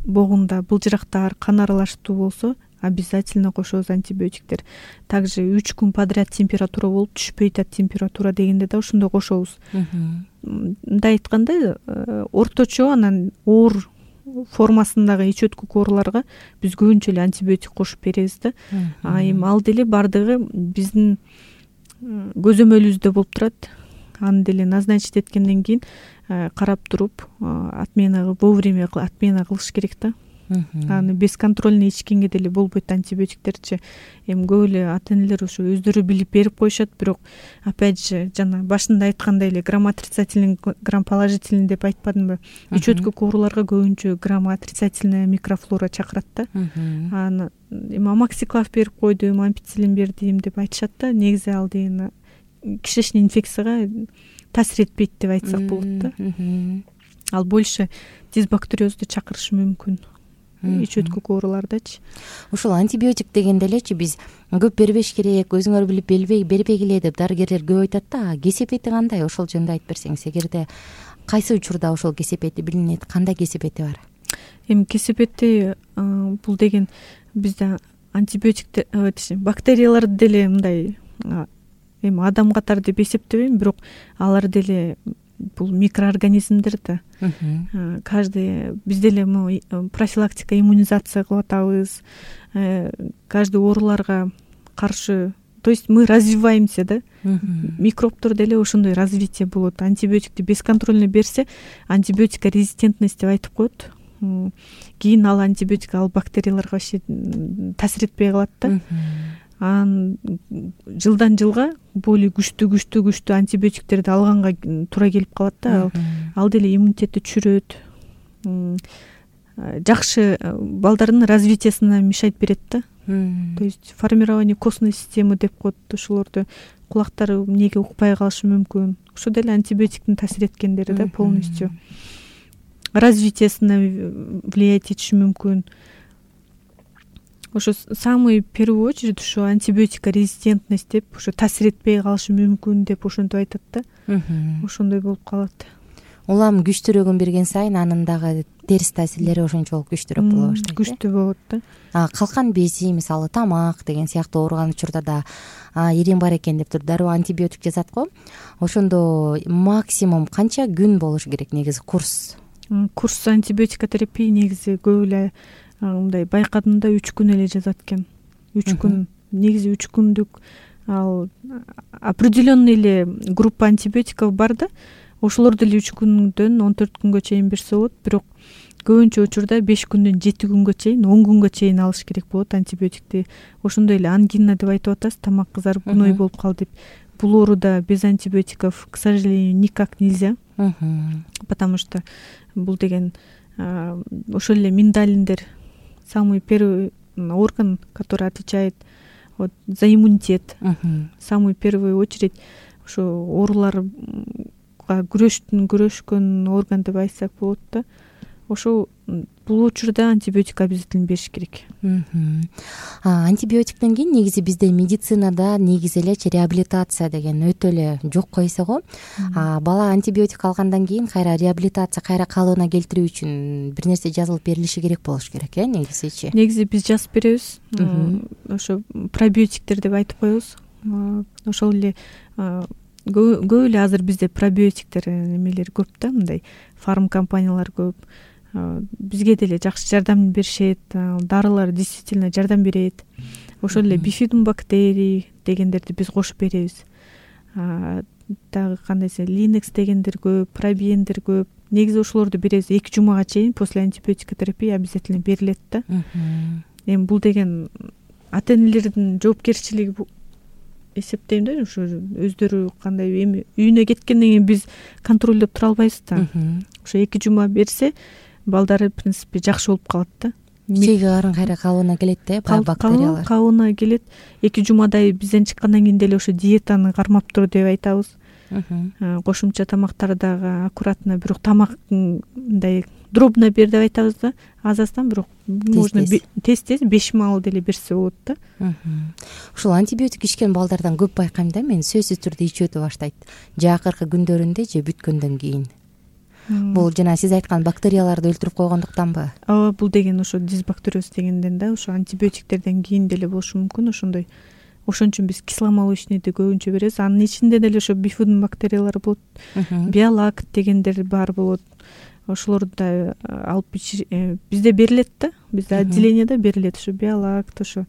богунда былжырактар, кан аралаштуу болсо обязательно кошобуз антибиотиктер. Также үч күн подряд температура болуп түшпөй атат температура дегенде да ошондо кошобуз. Мындай айтканда, орточо анан оор формасындагы ич өткүк ооруларга биз көбүнчө эле антибиотик кошуп беребиз да. А эми ал деле бардыгы биздин көзөмөлүбүздө болуп турат. Аны деле назначить эткенден кийин карап туруп отмена вовремя отмена кылыш керек да. Аны бесконтрольный ичкенге деле болбойт антибиотиктерчи. Эми көп эле ата-энелер ошо өздөрү билип берип коюшат, бирок опять же жана башында айткандай эле грамм отрицательный, грамм положительный деп айтпадымбы? Ич өткүк ооруларга көбүнчө грамм отрицательная микрофлора чакырат да. Аны эми амоксиклав берип койдум, ампицилин бердим деп айтышат да. Негизи ал деген кишечный инфекцияга таасир этпейт деп айтсак болот да. Ал больше дисбактериозду чакырышы мүмкүн ич өткүк оорулардачы. Ушул антибиотик дегенде элечи биз көп бербеш керек, өзүңөр билип бербей бербегиле деп дарыгерлер көп айтат да. Кесепети кандай? Ошол жөнүндө айтып берсеңиз, эгерде кайсы учурда ошол кесепети билинет, кандай кесепети бар? Эми кесепети бул деген бизде антибиотик бактерияларды деле мындай эми адам катары деп эсептебейм, бирок алар деле бул микроорганизмдер да. Каждый биз деле профилактика, иммунизация кылып атабыз. Каждый ооруларга каршы, то есть мы развиваемся да. Микробтор деле ошондой развитие болот. Антибиотикти бесконтрольно берсе, антибиотика резистентность деп айтып коет. Кийин ал антибиотик ал бактерияларга вообще таасир этпей калат да. Анан жылдан жылга более күчтүү күчтүү күчтүү антибиотиктерди алганга туура келип калат да. Ал деле иммунитетти түшүрөт. Жакшы балдардын развитиясына мешать берет да. То есть формирование костной системы деп коет. Ошолорду кулактары эмнеге укпай калышы мүмкүн. Ошо деле антибиотиктин таасир эткендери да полностью. Развитиясына влиять этиши мүмкүн. Ошо самый первую очередь ошо антибиотика резистентность деп ошо таасир этпей калышы мүмкүн деп ошентип айтат да. Ошондой болуп калат. Улам күчтүүрөгүн берген сайын анын дагы терс таасирлери ошончолук күчтүүрөөк боло баштайт. Күчтүү болот да. А калкан бези, мисалы тамак деген сыяктуу ооруган учурда да ириң бар экен деп туруп дароо антибиотик жазат го. Ошондо максимум канча күн болуш керек негизи курс? Курс антибиотика терапия негизи көп эле мындай байкадымда үч күн эле жазат экен. үч күн. Негизи үч күндүк ал определенный эле группа антибиотиков бар да. Ошолор деле үч күндөн он төрт күнгө чейин берсе болот, бирок көбүнчө учурда беш күндөн жети күнгө чейин, он күнгө чейин алыш керек болот антибиотикти. Ошондой эле ангина деп айтып атасыз, тамак кызарып гной болуп калды деп. Бул ооруда без антибиотиков, к сожалению, никак нельзя. Потому что бул деген ошол эле миндалиндер самый первый орган, который отвечает вот за иммунитет. Самую первую очередь ошо ооруларга күрөштүн күрөшкөн орган деп айтсак болот да. Ошо бул учурда антибиотик обязательно бериш керек. Антибиотиктен кийин негизи бизде медицинада негизи элечи реабилитация деген өтө эле жокко эсе го. Бала антибиотик алгандан кийин кайра реабилитация, кайра калыбына келтирүү үчүн бир нерсе жазылып берилиши керек болуш керек э негизичи. Негизи биз жазып беребиз. Ошо пробиотиктер деп айтып коебуз. Ошол эле көп эле азыр бизде пробиотиктер эмелер көп да, мындай фарм компаниялар көп. Бизге деле жакшы жардам беришет, дарылар действительно жардам берет. Ошол эле бифидум бактерий дегендерди биз кошуп беребиз. Дагы кандайсы линекс дегендер көп, пробиендер көп. Негизи ошолорду беребиз эки жумага чейин после антибиотика терапия обязательно берилет да. Эми бул деген ата-энелердин жоопкерчилиги эсептейм да, ошо өздөрү кандай эми үйүнө кеткенден кийин биз контролдоп тура албайбыз да. Ошо эки жума берсе балдары в принципе жакшы болуп калат да. ичеги карын кайра кабына келет да, баягы бактериялар кабына келет. Эки жумадай бизден чыккандан кийин деле ошо диетаны кармап тур деп айтабыз. Кошумча тамактар дагы аккуратно, бирок тамак мындай дробно бер деп айтабыз да, аз аздан, бирок можно тез тез беш маал деле берсе болот да. Ушул антибиотик ичкен балдардан көп байкайм да мен, сөзсүз түрдө ичип өтө баштайт жакыркы күндөрүндө же бүткөндөн кийин. Бул жана сиз айткан бактерияларды өлтүрүп койгондуктанбы? Ооба, бул деген ошо дисбактериоз дегенден да, ошо антибиотиктерден кийин деле болушу мүмкүн ошондой. Ошон үчүн биз кисломолочныйды көбүнчө беребиз. Анын ичинде деле ошо бифидум бактериялары болот, биолакт дегендер бар болот. Ошолорду да алып бизде берилет да, бизде отделениеде берилет ошо биолакт, ошо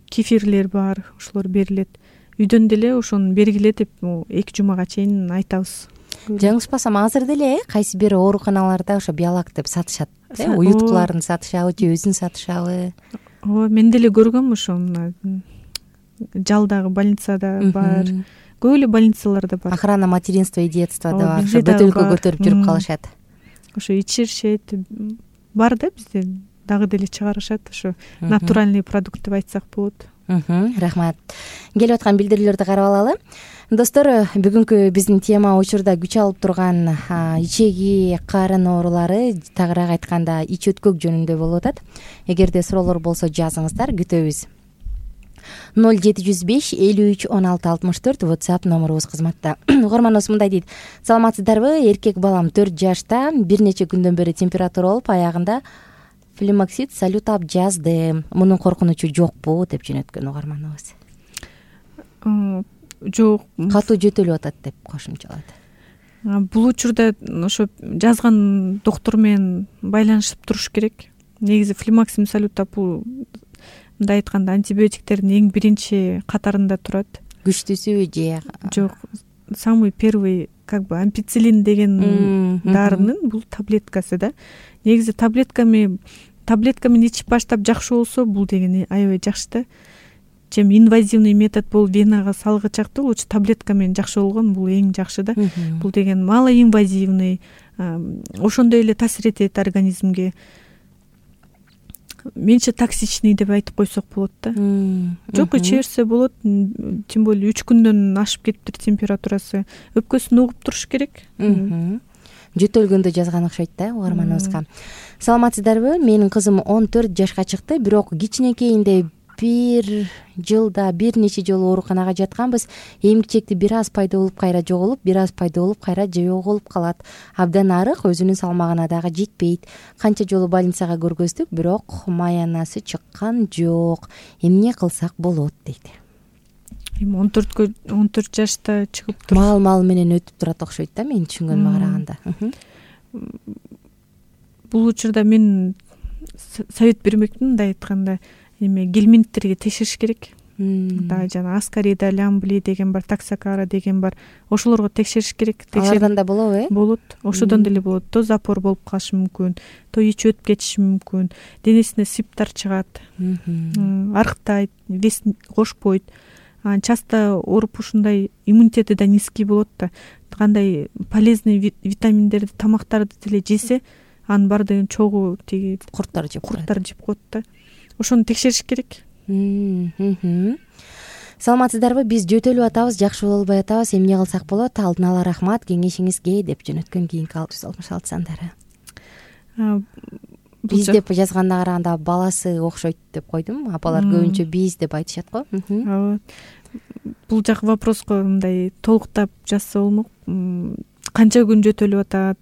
кефирлер бар, ошолор берилет. Үйдөн деле ошону бергиле деп эки жумага чейин айтабыз. Жаңылышпасам азыр деле кайсы бир ооруканаларда ошо биолакт деп сатышат, уюткуларын сатышабы же өзүн сатышабы? Ооба, мен деле көргөм ошо мына жалдагы больницада бар, көп эле больницаларда бар. Охрана материнства и детства да бар, ошо бөтөлкө көтөрүп жүрүп калышат. Ошо ичиришет, бар да, бизде дагы деле чыгарышат, ошо натуральный продукт деп айтсак болот. Рахмат. Келип аткан билдирүүлөрдү карап алалы. Достор, бүгүнкү биздин тема учурда күч алып турган ичеги карын оорулары, тагыраак айтканда ич өткөк жөнүндө болуп атат. Эгерде суроолор болсо жазыңыздар, күтөбүз. ноль жети жүз беш элүү үч он алты алтымыш төрт WhatsApp номерубуз кызматта. Угарманыбыз мындай дейт: саламатсыздарбы? Эркек балам төрт жашта, бир нече күндөн бери температура болуп, аягында флемоксид салютап жазды. Мунун коркунучу жокпу деп жөнөткөн угарманыбыз. Жок, катуу жөтөлүп атат деп кошумчалады. Бул учурда ошо жазган доктор менен байланышып туруш керек. Негизи флемоксид салютап бул мындай айтканда антибиотиктердин эң биринчи катарында турат. Күчтүүсү же жок, самый первый как бы ампицилин деген дарынын бул таблеткасы да. Негизи таблетками таблеткамен ичип баштап жакшы болсо, бул деген аябай жакшы да. Чем инвазивный метод бул венага салгычакты, лучше таблетка менен жакшы болгон, бул эң жакшы да. Бул деген малоинвазивный, ошондой эле таасир этет организмге. Меньше токсичный деп айтып койсок болот да. Жок, иче берсе болот, тем более үч күндөн ашып кетиптир температурасы. Өпкөсүн угуп туруш керек. Жөтөлгөндө жазган окшойт да угарманыбызга. Саламатсыздарбы? Менин кызым он төрт жашка чыкты, бирок кичинекейинде бир жылда бир нече жолу ооруканага жатканбыз. Эмгичекти бир аз пайда болуп кайра жоголуп, бир аз пайда болуп кайра жоголуп калат. Абдан арык, өзүнүн салмагына дагы жетпейт. Канча жолу больницага көргөздүк, бирок маянасы чыккан жок. Эмне кылсак болот дейт. Эми он төрткө он төрт жашта чыгып туруп мал-мал менен өтүп турат окшойт да, мен түшүнгөнүмө караганда. Бул учурда мен совет бермекмин, мындай айтканда, эме гельминттерге текшериш керек. Да, жана аскарида лямбли деген бар, таксакара деген бар. Ошолорго текшериш керек. Алардан да болобу, э? Болот. Ошодон деле болот. То запор болуп калышы мүмкүн, то ич өтүп кетиши мүмкүн. Денесине сыптар чыгат. Арыктайт, вес кошпойт. Часто ооруп ушундай иммунитети да низкий болот да. Кандай полезный витаминдерди, тамактарды деле жесе, анын баардыгын чогуу тиги курттар жеп курттар жеп коет да. Ошону текшериш керек. Саламатсыздарбы? Биз жөтөлүп атабыз, жакшы боло албай атабыз. Эмне кылсак болот? Алдын ала рахмат кеңешиңизге деп жөнөткөн кийинки алты жүз алтымыш алты сандары. Биз деп жазганына караганда баласы окшойт деп койдум. Апалар көбүнчө биз деп айтышат го. Ооба. Бул жак вопроско мындай толуктап жазса болмок. Канча күн жөтөлүп атат?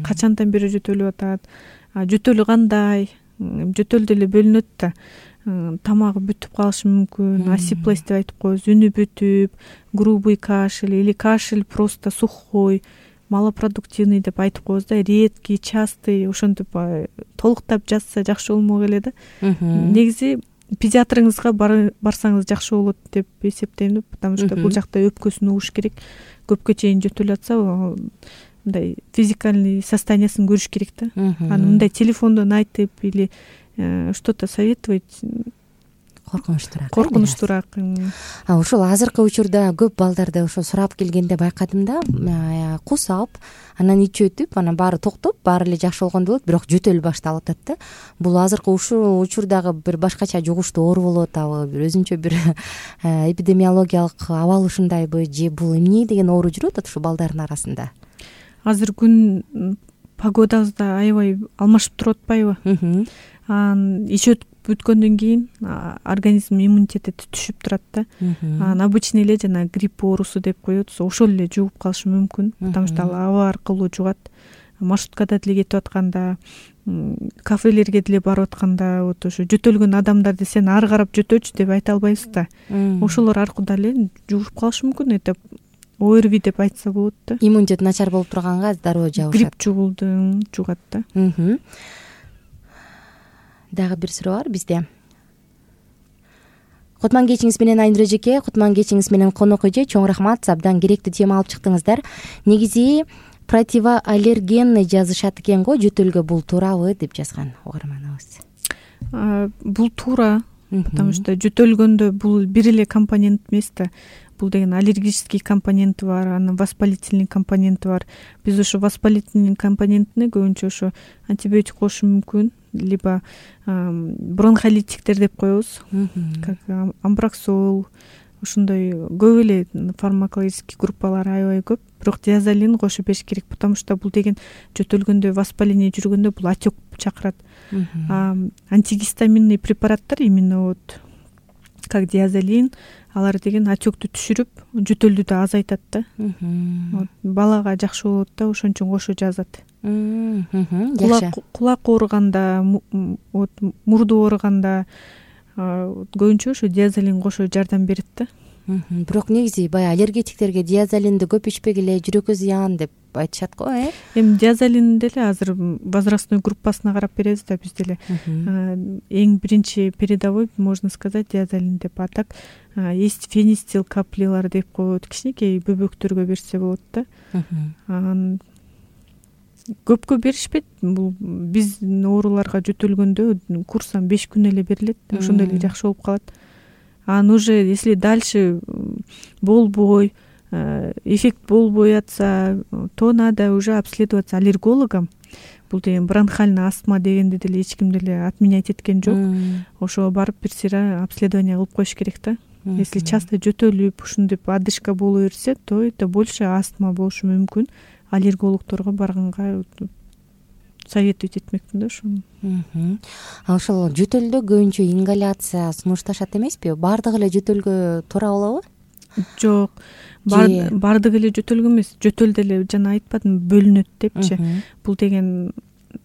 Качандан бери жөтөлүп атат? Жөтөлү кандай? Жөтөл деле бөлүнөт да. Тамагы бүтүп калышы мүмкүн, асиплость деп айтып коебуз, үнү бүтүп, грубый кашель или кашель просто сухой, малопродуктивный деп айтып коебуз да, редкий, частый, ошентип толуктап жазса жакшы болмок эле да. Негизи педиатрыңызга барсаңыз жакшы болот деп эсептейм да, потому что бул жакта өпкөсүн угуш керек. Көпкө чейин жөтөлүп атса, мындай физикальный состояниясын көрүш керек да. Аны мындай телефондон айтып или что-то советовать коркунучтуураак коркунучтуураак. Ошол азыркы учурда көп балдарды ошо сурап келгенде байкадым да, кус алып анан ичип өтүп анан баары токтоп баары эле жакшы болгондой болот, бирок жөтөл башталып атат да. Бул азыркы ушул учурдагы бир башкача жугуштуу оору болуп атабы, бир өзүнчө бир эпидемиологиялык абал ушундайбы, же бул эмне деген оору жүрүп атат ушул балдардын арасында? Азыр күн погодабыз да аябай алмашып туруп атпайбы? Анан ичип бүткөндөн кийин организм иммунитети түшүп турат да. Анан обычный эле жана грипп оорусу деп коет, ошол эле жугуп калышы мүмкүн, потому что ал аба аркылуу жугат. Маршруткада деле кетип атканда, кафелерге деле барып атканда, вот ошо жөтөлгөн адамдарды сен ары карап жөтөчү деп айта албайбыз да. Ошолор аркылуу эле жугуп калышы мүмкүн. Это ОРВИ деп айтса болот да. Иммунитет начар болуп турганга дароо жабышат. Грипп жугулду, жугат да. Дагы бир суроо бар бизде. Кутман кечиңиз менен Айнура эжеке, кутман кечиңиз менен Конок эже, чоң рахмат, абдан керектүү тема алып чыктыңыздар. Негизи противоаллергенный жазышат экен го, жөтөлгө бул туурабы деп жазган угарманыбыз. Бул туура, потому что жөтөлгөндө бул бир эле компонент эмес да. Бул деген аллергический компоненти бар, анан воспалительный компоненти бар. Биз ошо воспалительный компонентине көбүнчө ошо антибиотик коюшу мүмкүн, либо бронхолитиктер деп коебуз, как амброксол, ошондой көп эле фармакологический группалар аябай көп. Бирок диазолин кошуп бериш керек, потому что бул деген жөтөлгөндө, воспаление жүргөндө бул отек чакырат. Антигистаминный препараттар именно вот как диазолин, алар деген отектү түшүрүп, жөтөлдү да азайтат да. Балага жакшы болот да, ошон үчүн кошо жазат. Кулак ооруганда, вот мурду ооруганда көбүнчө ошо диазолин кошо жардам берет да. Бирок негизи баягы аллергетиктерге диазолинди көп ичпегиле, жүрөккө зыян деп айтышат го, э? Эми диазолин деле азыр возрастной группасына карап беребиз да биз деле. Эң биринчи передовой, можно сказать, диазолин деп. А так есть фенистил каплилар деп коет, кичинекей бөбөктөргө берсе болот да. Анан көпкө беришпейт. Бул биздин ооруларга жөтөлгөндө курсам беш күн эле берилет, ошондой эле жакшы болуп калат. Анан уже если дальше болбой, эффект болбой атса, то надо уже обследоваться аллергологом. Бул деген бронхальный астма дегенди деле эч ким деле отменять эткен жок. Ошого барып бир сыйра обследование кылып коюш керек да. Если часто жөтөлүп, ушинтип одышка боло берсе, то это больше астма болушу мүмкүн. Аллергологторго барганга советовать этмекмин да ошону. А ошол жөтөлдө көбүнчө ингаляция сунушташат эмеспи? Баардыгы эле жөтөлгө туура болобу? Жок, баардыгы эле жөтөлгө эмес. Жөтөл деле жана айтпадым, бөлүнөт депчи. Бул деген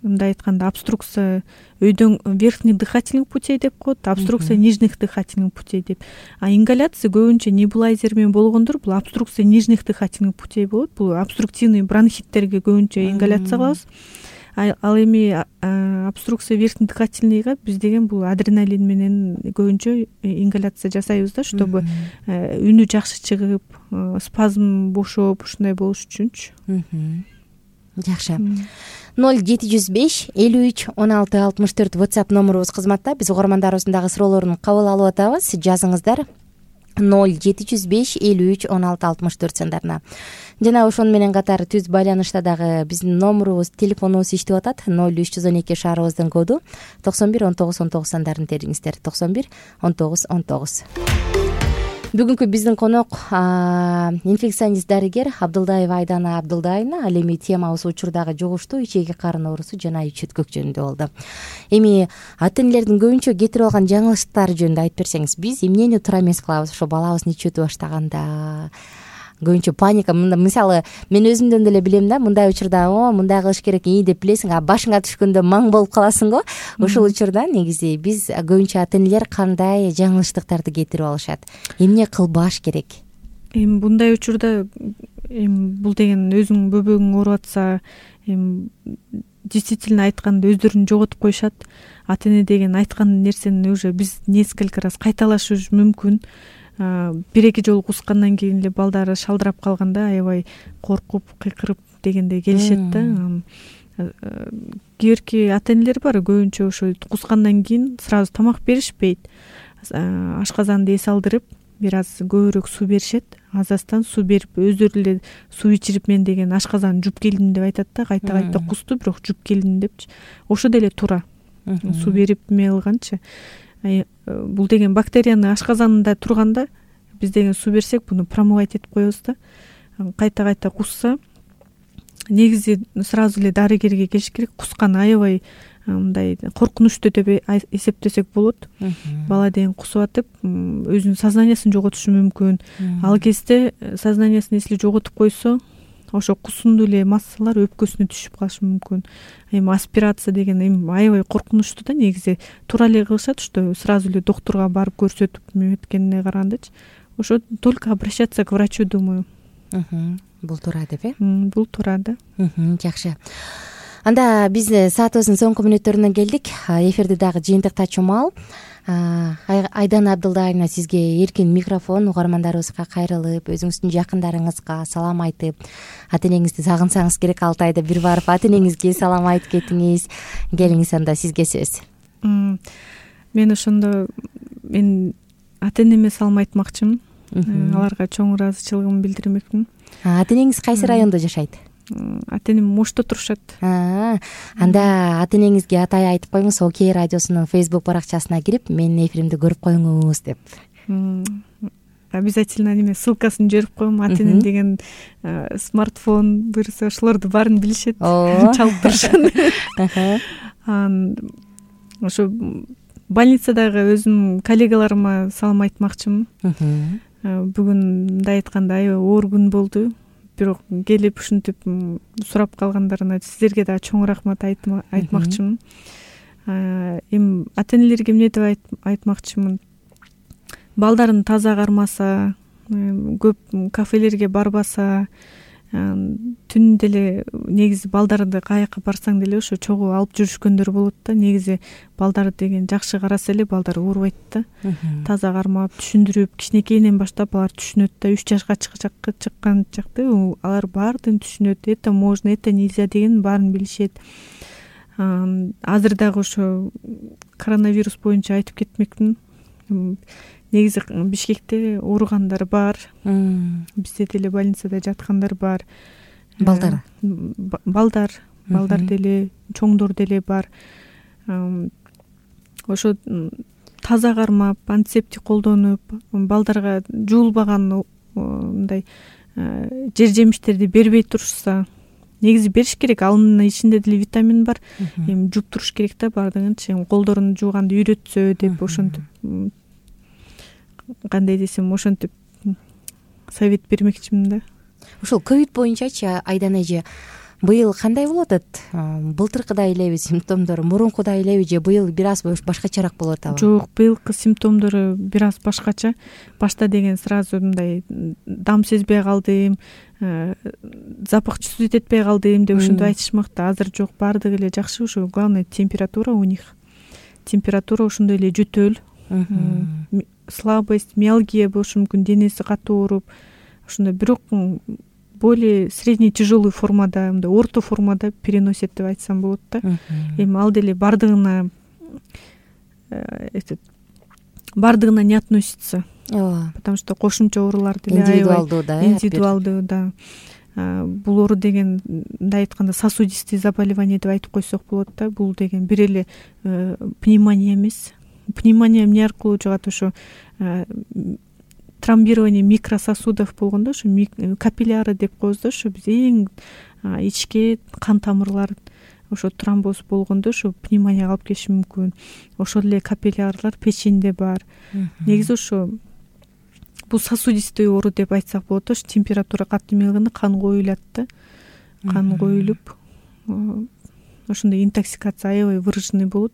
мындай айтканда обструкция өйдөн верхних дыхательных путей деп коет, обструкция нижних дыхательных путей деп. А ингаляция көбүнчө небулайзер менен болгондор бул обструкция нижних дыхательных путей болот. Бул обструктивный бронхиттерге көбүнчө ингаляция кылабыз. Ал эми обструкция верхних дыхательныйга биз деген бул адреналин менен көбүнчө ингаляция жасайбыз да, чтобы үнү жакшы чыгып, спазм бошоп, ушундай болуш үчүнчү. Жакшы. ноль жети жүз беш элүү үч он алты алтымыш төрт WhatsApp номерубуз кызматта. Биз угармандарыбыздагы суроолорун кабыл алып атабыз. Жазыңыздар. ноль жети жүз беш элүү үч он алты алтымыш төрт сандарына. Жана ошону менен катар түз байланышта дагы биздин номерубуз, телефонубуз иштеп атат. ноль үч жүз он эки шаарыбыздын коду токсон бир он тогуз он тогуз сандарын териңиздер. токсон бир он тогуз он тогуз. Бүгүнкү биздин конок инфекционист дарыгер Абдылдаева Айдана Абдылдайна. Ал эми темабыз учурдагы жугуштуу ичеги карын оорусу жана ич өткөк жөнүндө болду. Эми ата энелердин көбүнчө кетирип алган жаңылыштары жөнүндө айтып берсеңиз, биз эмнени туура эмес кылабыз ошо балабыз ич өтүп баштаганда? Көбүнчө паника. Мисалы, мен өзүмдөн деле билем да, мындай учурда о, мындай кылыш керек ии деп билесиң, а башыңа түшкөндө маң болуп каласың го. Ошол учурда негизи биз көбүнчө ата энелер кандай жаңылыштыктарды кетирип алышат? Эмне кылбаш керек? Эми мындай учурда эми бул деген өзүң бөбөгүң ооруп атса, эми действительно айтканда өздөрүн жоготуп коюшат. Ата эне деген айткан нерсени уже биз несколько раз кайталашыбыз мүмкүн. Бир-эки жолу кускандан кийин эле балдары шалдырап калганда аябай коркуп, кыйкырып дегенде келишет да. Кээ бирки ата энелер бар, көбүнчө ошо кускандан кийин сразу тамак беришпейт. ашказанды эс алдырып бир аз көбүрөөк суу беришет, аз аздан суу берип өздөрү эле суу ичирип мен деген ашказан жуп келдим деп айтат да, кайта кайта кусту, бирок жуп келдим депчи. Ошо деле туура. Суу берип эме кылганчы. Бул деген бактерияны ашказанында турганда биз деген суу берсек, буну промывать этип коебуз да. Кайта кайта кусса, негизи сразу эле дарыгерге келиш керек. Кусканы аябай мындай коркунучтуу деп эсептесек болот. Бала деген кусуп атып, өзүнүн сознаниясын жоготушу мүмкүн. Ал кезде сознаниясын эсли жоготуп койсо, ошо кусундуу эле массалар өпкөсүнө түшүп калышы мүмкүн. Эми аспирация деген эми аябай коркунучтуу да, негизи туура эле кылышат, что сразу эле доктурга барып көрсөтүп эметкенине карагандачы. Ошо только обращаться к врачу, думаю. Бул туура деп э? Бул туура да. Жакшы. Анда биз саатыбыздын соңку мүнөттөрүнө келдик. Эфирди дагы жыйынтыктачу маал. Айдана Абдылдаевна, сизге эркин микрофон. Угармандарыбызга кайрылып, өзүңүздүн жакындарыңызга салам айтып, ата энеңизди сагынсаңыз керек, алты айда бир барып ата энеңизге салам айтып кетиңиз. Келиңиз, анда сизге сөз. Мен ошондо мен ата энеме салам айтмакчымын. Аларга чоң ыраазычылыгымды билдирмекмин. Ата энеңиз кайсы райондо жашайт? Ата энем Мошто турушат. Анда ата энеңизге атай айтып коюңуз, Окей радиосунун Facebook баракчасына кирип, менин эфиримди көрүп коюңуз деп. Обязательно неме ссылкасын жиберип коем. Ата энем деген смартфон буюрса ошолорду баарын билишет, чалып турушат. Ошо больницадагы өзүмдүн коллегаларыма салам айтмакчымын. Бүгүн мындай айтканда аябай оор күн болду. Бирок келип ушинтип сурап калгандарына сиздерге дагы чоң рахмат айтмакчымын. Эми ата энелерге эмне деп айтмакчымын? Балдарын таза кармаса, көп кафелерге барбаса, түн деле негизи балдарды каяка барсаң деле ошо чогуу алып жүрүшкөндөр болот да. Негизи балдар деген жакшы караса эле балдар оорубайт да. Таза кармап, түшүндүрүп, кичинекейинен баштап алар түшүнөт да. үч жашка чыккан чакта алар баардыгын түшүнөт. Это можно, это нельзя деген баарын билишет. Азыр дагы ошо коронавирус боюнча айтып кетмекмин. Негизи Бишкекте ооругандар бар. Бизде деле больницада жаткандар бар. Балдар. Балдар, балдар деле, чоңдор деле бар. Ошо таза кармап, антисептик колдонуп, балдарга жуулбаган мындай жер жемиштерди бербей турушса, негизи бериш керек. Анын ичинде деле витамин бар. Эми жууп туруш керек да баардыгынчы. Колдорун жууганды үйрөтсө деп ошентип, кандай десем, ошентип совет бермекчимин да. Ушул ковид боюнчачы Айдана эже, быйыл кандай болуп атат? Былтыркыдай элеби симптомдору, мурункудай элеби же быйыл бир аз башкачараак болуп атабы? Жок, быйылкы симптомдору бир аз башкача. Башта деген сразу мындай дам сезбей калдым, запах чувствовать этпей калдым деп ошентип айтышмакты. Азыр жок, баардыгы эле жакшы. Ошо главное температура у них. Температура ошондой эле жөтөл, слабость, миалгия болушу мүмкүн, денеси катуу ооруп, ошондой бирок более средний тяжелый формада, мындай орто формада переносит деп айтсам болот да. Эми ал деле баардыгына баардыгына не относится. Потому что кошумча оорулар деле индивидуалдуу да. Индивидуалдуу да. Бул оору деген мындай айтканда сосудистый заболевание деп айтып койсок болот да. Бул деген бир эле пневмония эмес. Пневмония эмне аркылуу жугат? Ошо тромбирование микрососудов болгондо, ошо капилляры деп коебуз да. Ошо биз эң ичке кан тамырлар ошо тромбоз болгондо ошо пневмонияга алып келиши мүмкүн. Ошол эле капиллярлар печеньде бар. Негизи ошо бул сосудистый оору деп айтсак болот. Ошо температура катуу эмелгенде кан коюлат да. Кан коюлуп ошондой интоксикация аябай выраженный болот.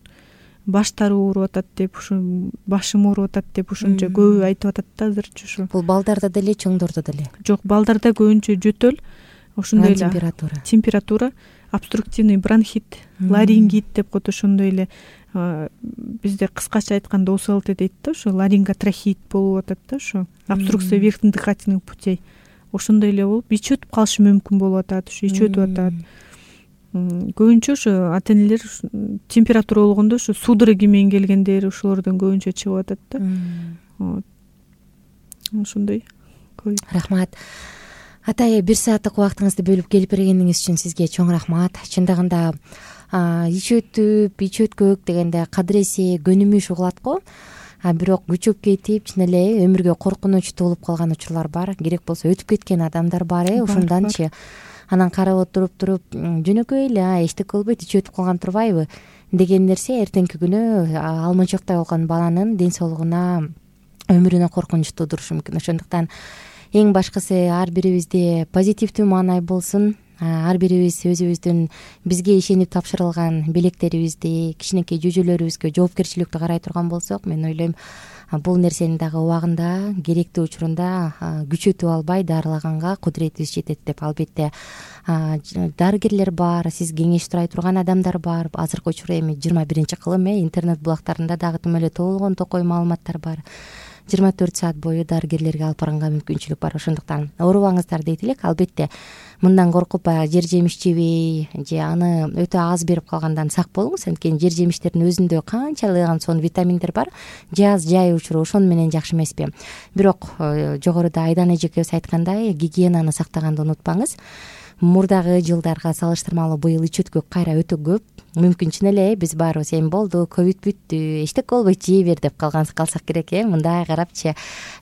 Баштары ооруп атат деп, ушу башым ооруп атат деп ушунча көбү айтып атат да азырчы ушу. Бул балдарда деле, чоңдордо деле? Жок, балдарда көбүнчө жөтөл, ошондой эле температура. Температура, обструктивный бронхит, ларингит деп коет, ошондой эле бизде кыскача айтканда О С Л Т дейт да, ошо ларинготрахеит болуп атат да, ошо обструкция верхних дыхательных путей. Ошондой эле болуп ич өтүп калышы мүмкүн болуп атат, ошо ич өтүп атат. көбүнчө ушу ата энелер температура болгондо ушу судороги менен келгендер ушулордон көбүнчө чыгып атат да. Вот ошондой. Рахмат атай, бир сааттык убактыңызды бөлүп келип бергениңиз үчүн сизге чоң рахмат. Чындыгында ич өтүп ич өткөк дегенде кадыресе көнүмүш угулат го, а бирок күчөп кетип чын эле өмүргө коркунуч туулуп калган учурлар бар. Керек болсо өтүп кеткен адамдар бар э ошонданчы. Анан карап отуруп туруп жөнөкөй эле эчтеке болбойт, ичи өтүп калган турбайбы деген нерсе эртеңки күнү алмачоктой болгон баланын ден соолугуна, өмүрүнө коркунуч туудурушу мүмкүн. Ошондуктан эң башкысы ар бирибизде позитивдүү маанай болсун. Ар бирибиз өзүбүздүн бизге ишенип тапшырылган белектерибизди, кичинекей жүйжөлөрүбүзгө жоопкерчиликтүү карай турган болсок, мен ойлойм бул нерсени дагы убагында, керектүү учурунда күчөтүп албай дарылаганга кудуретибиз жетет деп. Албетте дарыгерлер бар, сиз кеңеш сурай турган адамдар бар. Азыркы учурда эми жыйырма биринчи кылым э интернет булактарында дагы тим эле толгон токой маалыматтар бар. жыйырма төрт саат бою дарыгерлерге алып барганга мүмкүнчүлүк бар. Ошондуктан оорубаңыздар дейт элек. Албетте мындан коркуп жер жемиш жебей же аны өтө аз берип калгандан сак болуңуз. Анткени жер жемиштердин өзүндө канчалыган сонун витаминдер бар. Жаз жай учуру ошону менен жакшы эмеспи. Бирок жогоруда Айдан эжекебиз айткандай, гигиенаны сактаганды унутпаңыз. Мурдагы жылдарга салыштырмалуу быйыл ич өткөк кайра өтө көп. Мүмкүн чын эле биз баарыбыз эми болду, ковид бүттү, эчтеке болбойт, жей бер деп калган калсак керек э мындай карапчы.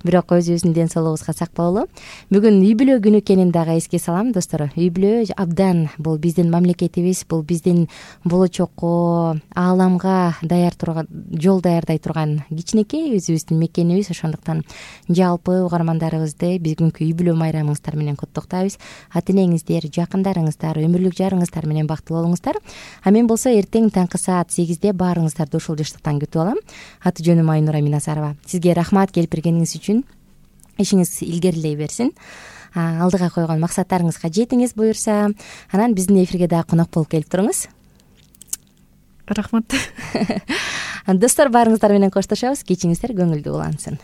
Бирок өзүбүздүн ден соолугубузга сак бололу. Бүгүн үй бүлө күнү экенин дагы эске салам достор. Үй бүлө абдан бул биздин мамлекетибиз, бул биздин болочокко, ааламга даяр турган, жол даярдай турган кичинекей өзүбүздүн мекенибиз. Ошондуктан жалпы угармандарыбызды бүгүнкү үй бүлө майрамыңыздар менен куттуктайбыз. Ата энеңиздер, жакындарыңыздар, өмүрлүк жарыңыздар менен бактылуу болуңуздар. А мен болсо эртең таңкы саат сегизде баарыңыздарды ушул жыштыктан күтүп алам. Аты жөнүм Айнура Минасарова. Сизге рахмат келип бергениңиз үчүн. Ишиңиз илгерилей берсин. Алдыга койгон максаттарыңызга жетиңиз буюрса. Анан биздин эфирге дагы конок болуп келип туруңуз. Рахмат. Достор, баарыңыздар менен коштошобуз. Кечиңиздер көңүлдүү улансын.